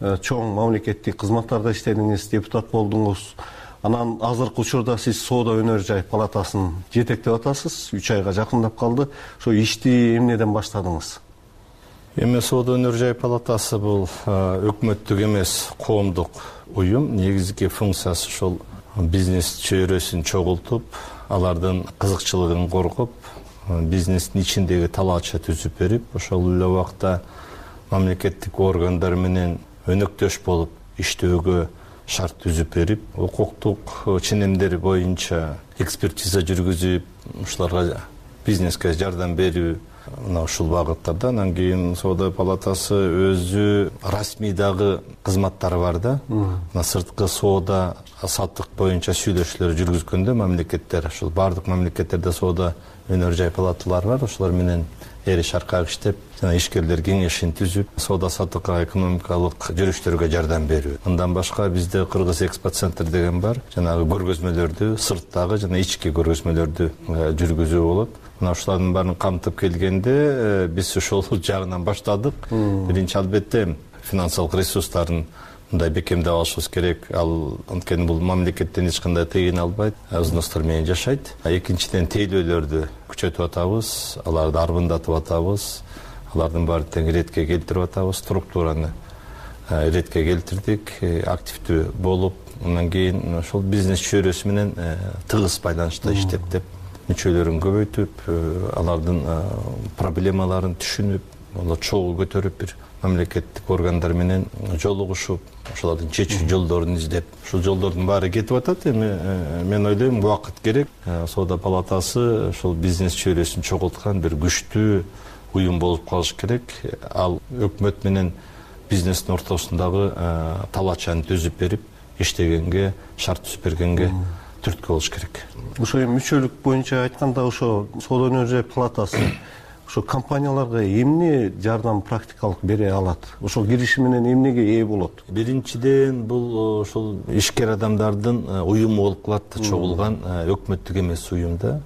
Чоң мамлекеттик кызматтарда иштедиңиз, депутат болдуңуз. Анан азыркы учурда сиз Соода өнөр жай палатасын жетектеп атасыз. 3 айга жакындап калды. Ошо ишти эмнеден баштадыңыз? Эми Соода өнөр жай палатасы бул өкмөттүк эмес, коомдук уюм. Негизги функциясы ошол бизнес чөйрөсүн чогултуп, алардын кызыкчылыгын коргоп, бизнестин ичиндеги талаача түзүп берип, ошол эле убакта мамлекеттик органдар менен өнөктөш болуп иштөөгө шарт түзүп берип, укуктук ченемдер боюнча экспертиза жүргүзүп, ушуларга бизнеске жардам берүү, мына ушул багыттарда. Анан кийин Соода палатасы өзү расмий дагы кызматтары бар да. Мына сырткы соода саттык боюнча сүйлөшүүлөр жүргүзгөндө мамлекеттер, ушул бардык мамлекеттерде Соода өнөр жай палаталары бар. Ошолор менен эри шаркак иштеп, жана ишкерлер кеңешин түзүп, соода саттыкка, экономикалык жүрүштөргө жардам берүү. Андан башка бизде Кыргыз экспорт центр деген бар. Жанагы көргөзмөлөрдү, сырттагы жана ички көргөзмөлөрдү жүргүзүү болот. Мына ушулардын баарын камтып келгенде биз ошол жагынан баштадык. Биринчи албетте финансылык ресурстарын мындай бекемдеп алышыбыз керек. Ал анткени бул мамлекеттен эч кандай тыйын албайт, взностор менен жашайт. Экинчиден тейлөөлөрдү күчөтүп атабыз, аларды арбындатып атабыз. Алардын баарын тең иретке келтирип атабыз, структураны иретке келтирдик, активдүү болуп, андан кийин ошол бизнес чөйрөсү менен тыгыз байланышта иштеп, мүчөлөрүн көбөйтүп, алардын проблемаларын түшүнүп, алар чогуу көтөрүп, бир мамлекеттик органдар менен жолугушуп, ошолордун чечүү жолдорун издеп, ушул жолдордун баары кетип атат. Эми мен ойлойм, убакыт керек. Соода палатасы ошол бизнес чөйрөсүн чогулткан бир күчтүү уюм болуп калыш керек. Ал өкмөт менен бизнестин ортосундагы талаачаны түзүп берип, иштегенге, шарт түзүп бергенге түрткү болуш керек. Ошо мүчөлүк боюнча айтканда, ошо Соода өнөр жай палатасы ошо компанияларга эмне жардам практикалык бере алат? Ошо кириши менен эмнеге ээ болот? Биринчиден бул ошол ишкер адамдардын уюму болуп калат, чогулган өкмөттүк эмес уюмда.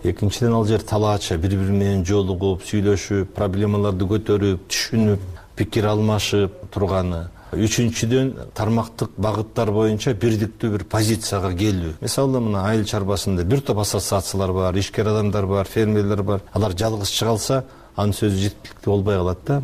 Экинчиден ал жер талаача бири-бири менен жолугуп, сүйлөшүп, проблемаларды көтөрүп, түшүнүп, пикир алмашып турганы. Үчүнчүдөн тармактык багыттар боюнча бирдиктүү бир позицияга келүү. Мисалы, мына айыл чарбасында бир топ ассоциациялар бар, ишкер адамдар бар, фермерлер бар. Алар жалгыз чыга алса, анын сөзү жеткиликтүү болбой калат да.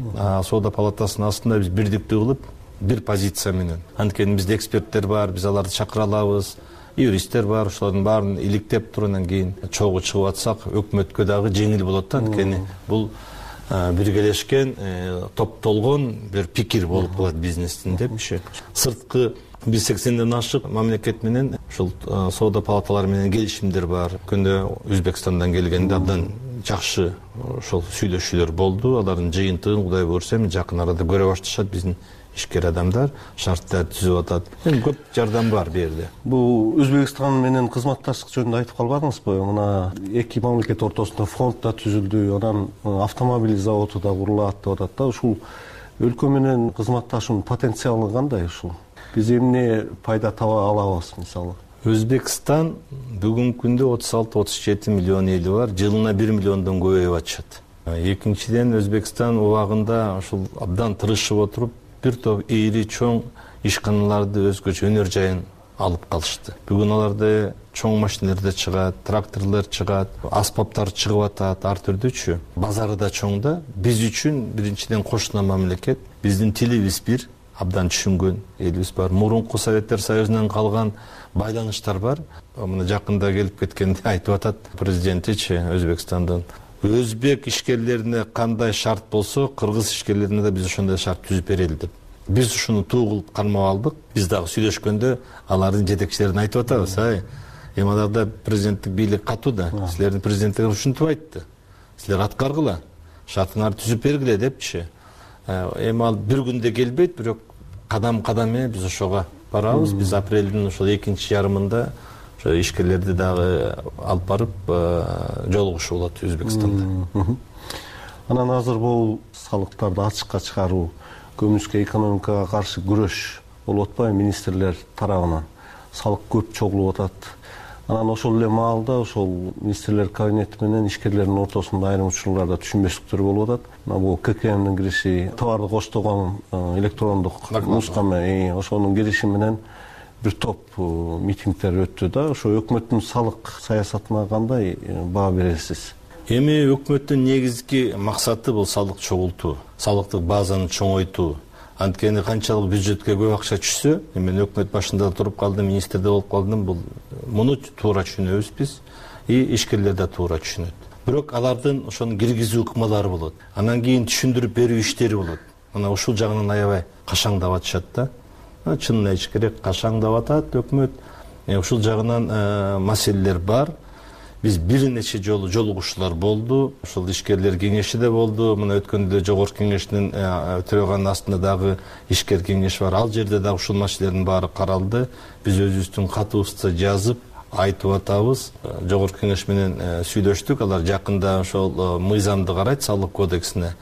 Соода палатасынын астында биз бирдиктүү кылып, бир позиция менен. Анткени бизде эксперттер бар, биз аларды чакыра алабыз. Юристтер бар, ошолордун баарын иликтеп туруп, анан кийин чогуу чыгып атсак, өкмөткө дагы жеңил болот да. Анткени бул биргелешкен топтолгон бир пикир болуп калат бизнестин депчи. Сырткы биз 80ден ашык мамлекет менен ушул соода палаталары менен келишимдер бар. Күндө Өзбекстандан келгенде абдан жакшы ошол сүйлөшүүлөр болду. Алардын жыйынтыгын Кудай буйрса жакын арада көрө башташат биздин ишкер адамдар, шарттар түзүп атат. Көп жардам бар бу жерде. Бул Өзбекстан менен кызматташтык жөнүндө айтып калбадыңызбы? Мына эки мамлекет ортосунда фонд да түзүлдү, анан автомобиль заводу да курулат деп атат да. Ушул өлкө менен кызматташуунун потенциалы кандай ушул? Биз эмне пайда таба алабыз мисалы? Өзбекстан бүгүнкү күндө 36-37 миллион эли бар, жылына 1 миллиондон көбөйүп атышат. Экинчиден Өзбекстан убагында ушул абдан тырышып отуруп бир топ ийри чоң ишканаларды өзгөчө өнөр жайын алып калышты. Бүгүн аларда чоң машиналар чыгат, тракторлор чыгат, аспаптар чыгып атат, ар түрдүүчү. Базары да чоң да. Биз үчүн биринчиден кошуна мамлекет, биздин тилибиз бир, абдан түшүнгөн элибиз бар. Мурунку Советтер Союзунан калган байланыштар бар. Мына жакында келип кеткенде айтып атат президентичи Өзбекстандын. Өзбек ишкерлерине кандай шарт болсо, кыргыз ишкерлерине да биз ошондой шарт түзүп берели деп. Биз ушуну туу кылып кармап алдык. Биз дагы сүйлөшкөндө алардын жетекчилерине айтып атабыз. Эми аларда президенттик бийлик катуу да. Силердин президенттер ушинтип айтты. Силер аткаргыла, шартыңарды түзүп бергиле депчи. Эми ал бир күндө келбейт, бирок кадам менен биз ошого барабыз. Биз апрелдин ошол экинчи жарымында ошо ишкерлерди дагы алып барып жолугушуу болот Өзбекстанда. Анан азыр бул салыктарды ачыкка чыгаруу, көмүскө экономикага каршы күрөш болуп атпайбы министрлер тарабынан? Салык көп чогулуп атат. Анан ошол эле маалда ошол министрлер кабинети менен ишкерлердин ортосунда айрым учурларда түшүнбөстүктөр болуп атат. Мына бул ККМдин кириши, товарды коштогон электрондук нускама, ошонун кириши менен бир топ митингдер өттү да. Ошо өкмөттүн салык саясатына кандай баа бересиз? Эми өкмөттүн негизги максаты бул салык чогултуу, салыктык базаны чоңойтуу. Анткени канчалык бюджетке көп акча түшсө, мен өкмөт башында туруп калдым, министрде болуп калдым, бул муну туура түшүнөбүз биз, ишкерлер да туура түшүнөт. Бирок алардын ошону киргизүү ыкмалары болот. Анан кийин түшүндүрүп берүү иштери болот. Мына ушул жагынан аябай кашаңдап атышат да. Чынын айтыш керек, кашаңдап атат өкмөт. Ушул жагынан маселелер бар. Биз бир нече жолу жолугушуулар болду. Ошол ишкерлер кеңеши да болду. Мына өткөндө жогорку кеңештин төрөгөнүн астында дагы ишкер кеңеш бар. Ал жерде дагы ушул маселелердин баары каралды. Биз өзүбүздүн катыбызды жазып айтып атабыз. Жогорку кеңеш менен сүйлөштүк. Алар жакында ошол мыйзамды карайт, салык кодексине.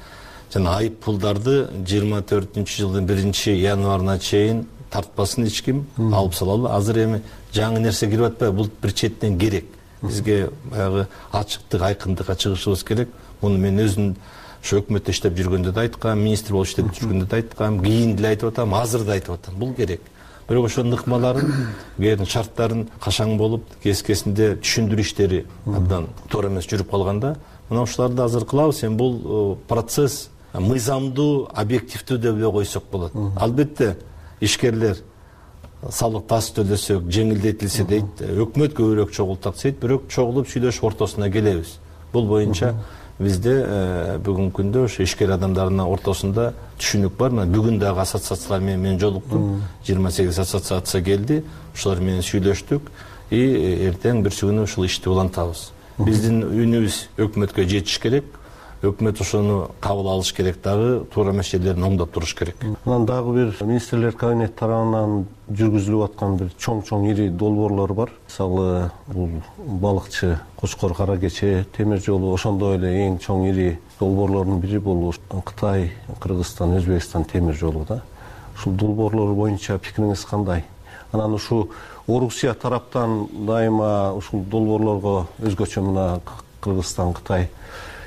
Жана айып пулдарды 24-жылдын 1-январына чейин тартпасын эч ким, алып салалы. Азыр эми жаңы нерсе кирип атпайбы? Бул бир четинен керек. Бизге баягы ачыктык, айкындыкка чыгышыбыз керек. Муну мен өзүм ошо өкмөттө иштеп жүргөндө да айткам, министр болуп иштеп жүргөндө да айткам, кийин деле айтып атам, азыр да айтып атам. Бул керек. Бирок ошонун ыкмаларын, кээде шарттарын кашаң болуп, кескесинде түшүндүрүү иштери абдан туура эмес жүрүп калганда, мына ушуларды азыр кылабыз. Эми бул процесс мыйзамдуу, объективдүү деп эле койсок болот. Албетте ишкерлер салык таз төлөсөк, жеңилдетилсе дейт, өкмөт көбүрөөк чогултак дейт, бирок чогулуп сүйлөшүп ортосуна келебиз. Бул боюнча бизде бүгүнкү күндө ошо ишкер адамдардын ортосунда түшүнүк бар. Мына бүгүн дагы ассоциациялар менен жолуктум. 28 ассоциация келди. Ошолар менен сүйлөштүк. Эртең бирси күнү ушул ишти улантабыз. Биздин үнүбүз өкмөткө жетиш керек. Өкмөт ошону кабыл алыш керек, дагы туура маселелерин оңдоп туруш керек. Анан дагы бир министрлер кабинети тарабынан жүргүзүлүп аткан бир чоң ири долбоорлор бар. Мисалы, бул балыкчы, Кочкор, Кара Кече темир жолу, ошондой эле эң чоң ири долбоорлордун бири бул Кытай, Кыргызстан, Өзбекстан темир жолу да. Ушул долбоорлор боюнча пикириңиз кандай? Анан ушу Орусия тараптан дайыма ушул долбоорлорго өзгөчө мына Кыргызстан, Кытай,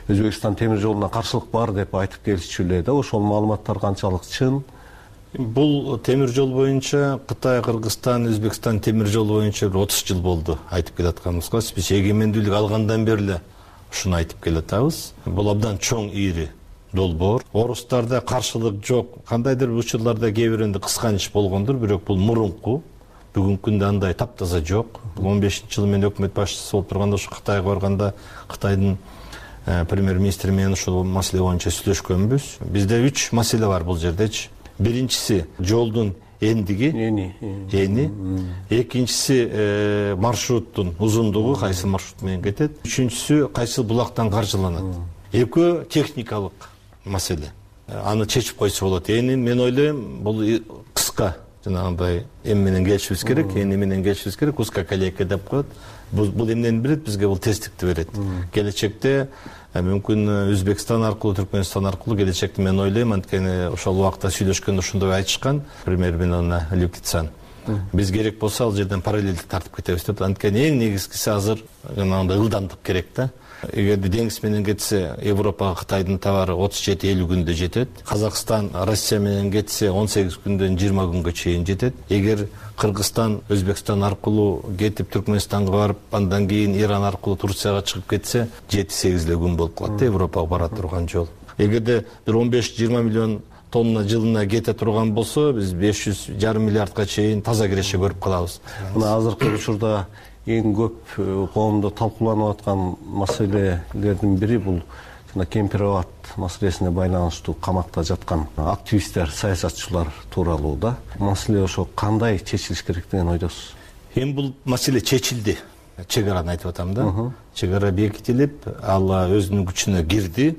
Өзбекстан темир жолуна каршылык бар деп айтып келишчү эле да. Ошол маалыматтар канчалык чын? Бул темир жол боюнча Кытай, Кыргызстан, Өзбекстан темир жолу боюнча 30 жыл болду айтып келатканыбызга. Биз эгемендүүлүк алгандан бери эле ушуну айтып келатабыз. Бул абдан чоң ири долбоор. Орустарда каршылык жок. Кандайдыр учурларда кээ биринде кысканыч болгондур, бирок бул мурунку. Бүгүнкү күндө андай таптаза жок. 15-жылы мен өкмөт башчысы болуп турганда ошо Кытайга барганда Кытайдын премьер министр менен ушул маселе боюнча сүйлөшкөнбүз. Бизде 3 маселе бар бул жердечи. Биринчиси жолдун эни. Экинчиси маршруттун узундугу, кайсы маршрут менен кетет. Үчүнчүсү кайсы булактан каржыланат. Экөө техникалык маселе. Аны чечип койсо болот. Эни мен ойлойм бул кыска жанагындай эми менен келишибиз керек, эни менен келишибиз керек, узкая колейка деп коет. Бул эмнени берет? Бизге бул тесттикти берет. Келечекте мүмкүн Өзбекстан аркылуу, Түркмөнстан аркылуу келечекте мен ойлойм, анткени ошол убакта сүйлөшкөндө ошондой айтышкан премьер министр Люкицан. Биз керек болсо ал жерден параллелдик тартып кетебиз деп. Анткени эң негизгиси азыр жанагындай ылдамдык керек да. Эгерде деңиз менен кетсе, Европага Кытайдын товары 37-50 күндө жетет. Казакстан Россия менен кетсе 18 күндөн 20 күнгө чейин жетет. Эгер Кыргызстан Өзбекстан аркылуу кетип Түркмөнстанга барып, андан кийин Иран аркылуу Турцияга чыгып кетсе, 7-8 күн болуп калат да Европага бара турган жол. Эгерде бир 15-20 миллион тонна жылына кете турган болсо, биз 500,5 миллиардга чейин таза киреше көрүп калабыз. Мына азыркы учурда эң көп коомдо талкууланып аткан маселелердин бири бул жана кемпир-абад маселесине байланыштуу камакта жаткан активисттер, саясатчылар тууралуу да. Маселе ошо кандай чечилиш керек деген ойдосуз? Эми бул маселе чечилди. Чек-араны айтып атам да. Чек-ара бекитилип, ал өзүнүн күчүнө кирди.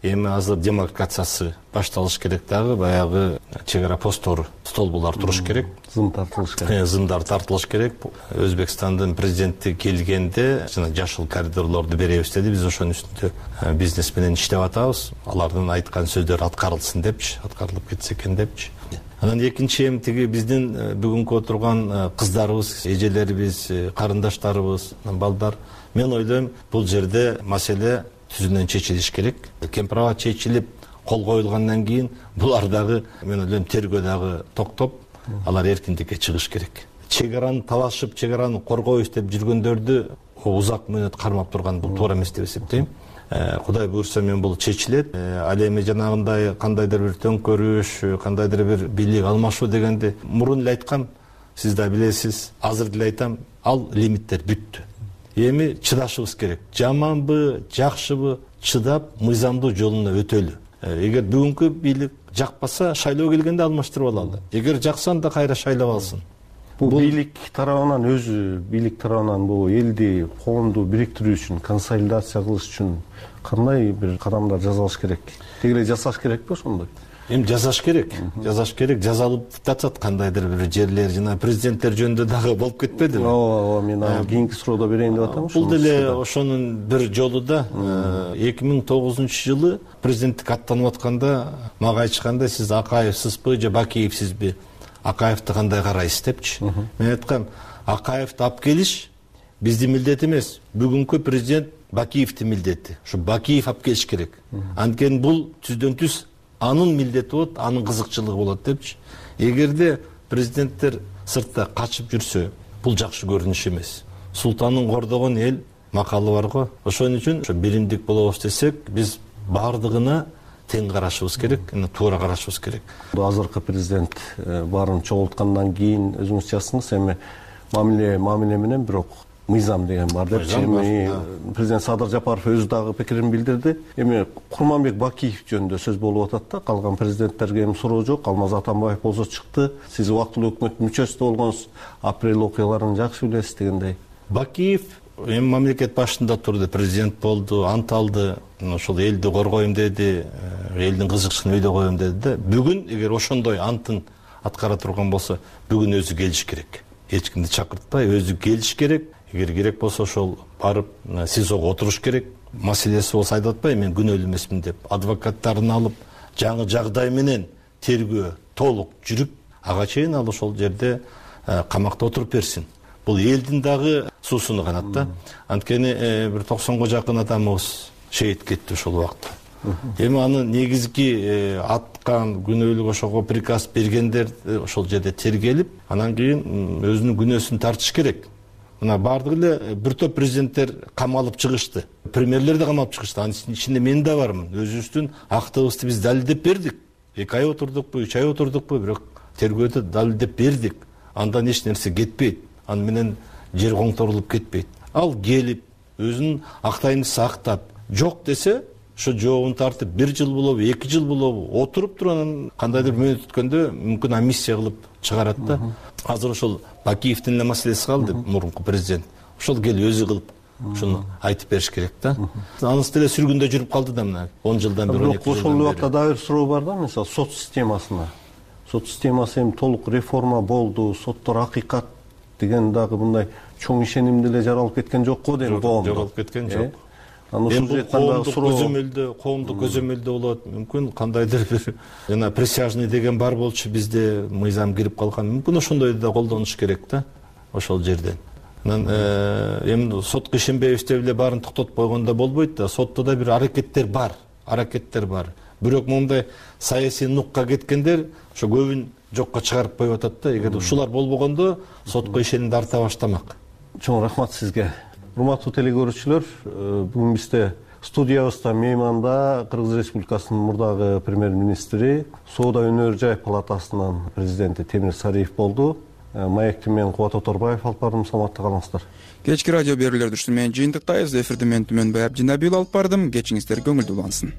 Эми азыр демаркациясы башталыш керек дагы, баягы чек-ара посттору, столбулар туруш керек. Зым тартылыш керек. Зымдар тартылыш керек. Өзбекстандын президенти келгенде жана жашыл коридорлорду беребиз деди. Биз ошонун үстүндө бизнес менен иштеп атабыз. Алардын айткан сөздөрү аткарылсын депчи, аткарылып кетсе экен депчи. Анан экинчи эми тиги биздин бүгүнкү отурган кыздарыбыз, эжелерибиз, карындаштарыбыз, балдар. Мен ойлойм, бул жерде маселе түзүнөн чечилиш керек. Кемпир-абад чечилип, кол коюлгандан кийин булар дагы, мен ойлойм, тергөө дагы токтоп, алар эркиндикке чыгыш керек. Чек-араны талашып, чек-араны коргойбуз деп жүргөндөрдү узак мөөнөт кармап турган бул туура эмес деп эсептейм. Кудай буйрса мен бул чечилет. Ал эми жанагындай кандайдыр бир төңкөрүш, кандайдыр бир бийлик алмашуу дегенди мурун эле айткам, сиз да билесиз, азыр деле айтам, ал лимиттер бүттү. Эми чыдашыбыз керек. Жаманбы, жакшыбы, чыдап, мыйзамдуу жолуна өтөлү. Эгер бүгүнкү бийлик жакпаса, шайлоо келгенде алмаштырып алалы. Эгер жакса, анда кайра шайлап алсын. Бул бийлик тарабынан бийлик тарабынан бул элди, коомду бириктирүү үчүн, консолидация кылыш үчүн кандай бир кадамдар жасалыш керек? Тегеле жасаш керекпи ошондой? Эми жасаш керек. Жасаш керек. Жазалып жатат кандайдыр бир жерлер, жана президенттер жөнүндө дагы болуп кетпедиби? Ооба, мен кийинки суроодо берейин деп атам. Бул деле ошонун бир жолу да. 2009-жылы президенттик аттанып атканда мага айтышканда, сиз Акаевсызбы же Бакиевсизби? Акаевди кандай карайсыз депчи. Мен айткам, Акаевди алып келиш биздин милдет эмес. Бүгүнкү президент Бакиевдин милдети. Ушу Бакиев алып келиш керек. Анткени бул түздөн түз анын милдети болот, анын кызыкчылыгы болот депчи. Эгерде президенттер сыртта качып жүрсө, бул жакшы көрүнүш эмес. Султанын кордогон эл макалы бар го. Ошон үчүн ошо биримдик болобуз десек, биз баардыгына тең карашыбыз керек, туура карашыбыз керек. Азыркы президент баарын чогулткандан кийин өзүңүз жазсыңыз, эми мамиле менен бирок мыйзам деген бар депчи. Эми президент Садыр Жапаров өзү дагы пикирин билдирди. Эми Курманбек Бакиев жөнүндө сөз болуп атат да, калган президенттерге эми суроо жок. Алмаз Атамбаев болсо чыкты. Сиз убактылуу өкмөттүн мүчөсү болгонсуз, апрель окуяларын жакшы билесиз дегендей. Бакиев эми мамлекет башында турду, президент болду, ант алды, ошол элди коргойм деди, элдин кызыкчылыгын өйдө коем деди да. Бүгүн эгер ошондой антын аткара турган болсо, бүгүн өзү келиш керек. Эч кимди чакыртпай өзү келиш керек. Эгер керек болсо ошол барып СИЗОго отуруш керек. Маселеси болсо айтып атпайбы, мен күнөөлүү эмесмин деп. Адвокаттарын алып, жаңы жагдай менен тергөө толук жүрүп, ага чейин ал ошол жерде камакта отуруп берсин. Бул элдин дагы суусуну канат да. Анткени бир 90го жакын адамыбыз шейит кетти ошол убакта. Эми аны негизги аткан күнөөлүк ошого приказ бергендер ошол жерде тергелип, анан кийин өзүнүн күнөөсүн тартыш керек. Мына бардыгы эле бир топ президенттер камалып чыгышты. Премьерлер да камалып чыгышты. Анын ичинде мен да бармын. Өзүбүздүн актыбызды биз далилдеп бердик. 2 ай отурдукпу, 3 ай отурдукпу, бирок тергөөдө далилдеп бердик. Андан эч нерсе кетпейт. Аны менен жер коңторулуп кетпейт. Ал келип, өзүнүн актайындысы актап, жок десе ошо жообун тартып 1 жыл болобу 2 жыл болобу отуруп туруп анан кандайдыр мөөнөт өткөндө мүмкүн амиссия кылып чыгарат да. Азыр ошол Бакиевдин эле маселеси калды, мурунку президент. Ошол келип өзү кылып ушуну айтып бериш керек да. Анысы деле сүргүндө жүрүп калды да мына 10 жылдан бери. Бирок ошол убакта дагы бир суроо бар да, мисалы сот системасына. Сот системасы эми толук реформа болду, соттор акыйкат деген дагы мындай чоң ишеним деле жаралып кеткен жок го дейм коомдо. Жаралып кеткен жок. Коомдук көзөмөлдө болот. Мүмкүн кандайдыр бир жана присяжный деген бар болчу, бизде мыйзам кирип калган. Мүмкүн ошондойду да колдонуш керек да ошол жерден. Анан эми сотко ишенбейбиз деп эле баарын токтотуп койгондо болбойт да. Сотто да бир аракеттер бар. Бирок мондай саясий нукка кеткендер ошо көбүн жокко чыгарып коюп атат да. Эгер ушулар болбогондо сотко ишенимди арта баштамак. Чоң рахмат сизге. Урматтуу телекөрүүчүлөр, бүгүн бизде студиябызда мейманда Кыргыз Республикасынын мурдагы премьер-министри, Соода өнөр жай палатасынын президенти Темир Сариев болду. Маектин мен Кубат Оторбаев алып бардым, саламатта калыңыздар. Кечки радио берүүлөрдү менен жыйынтыктайбыз. Эфирди мен Түмөнбай Абдинабил алып бардым. Кечиңиздер көңүлдүү улансын.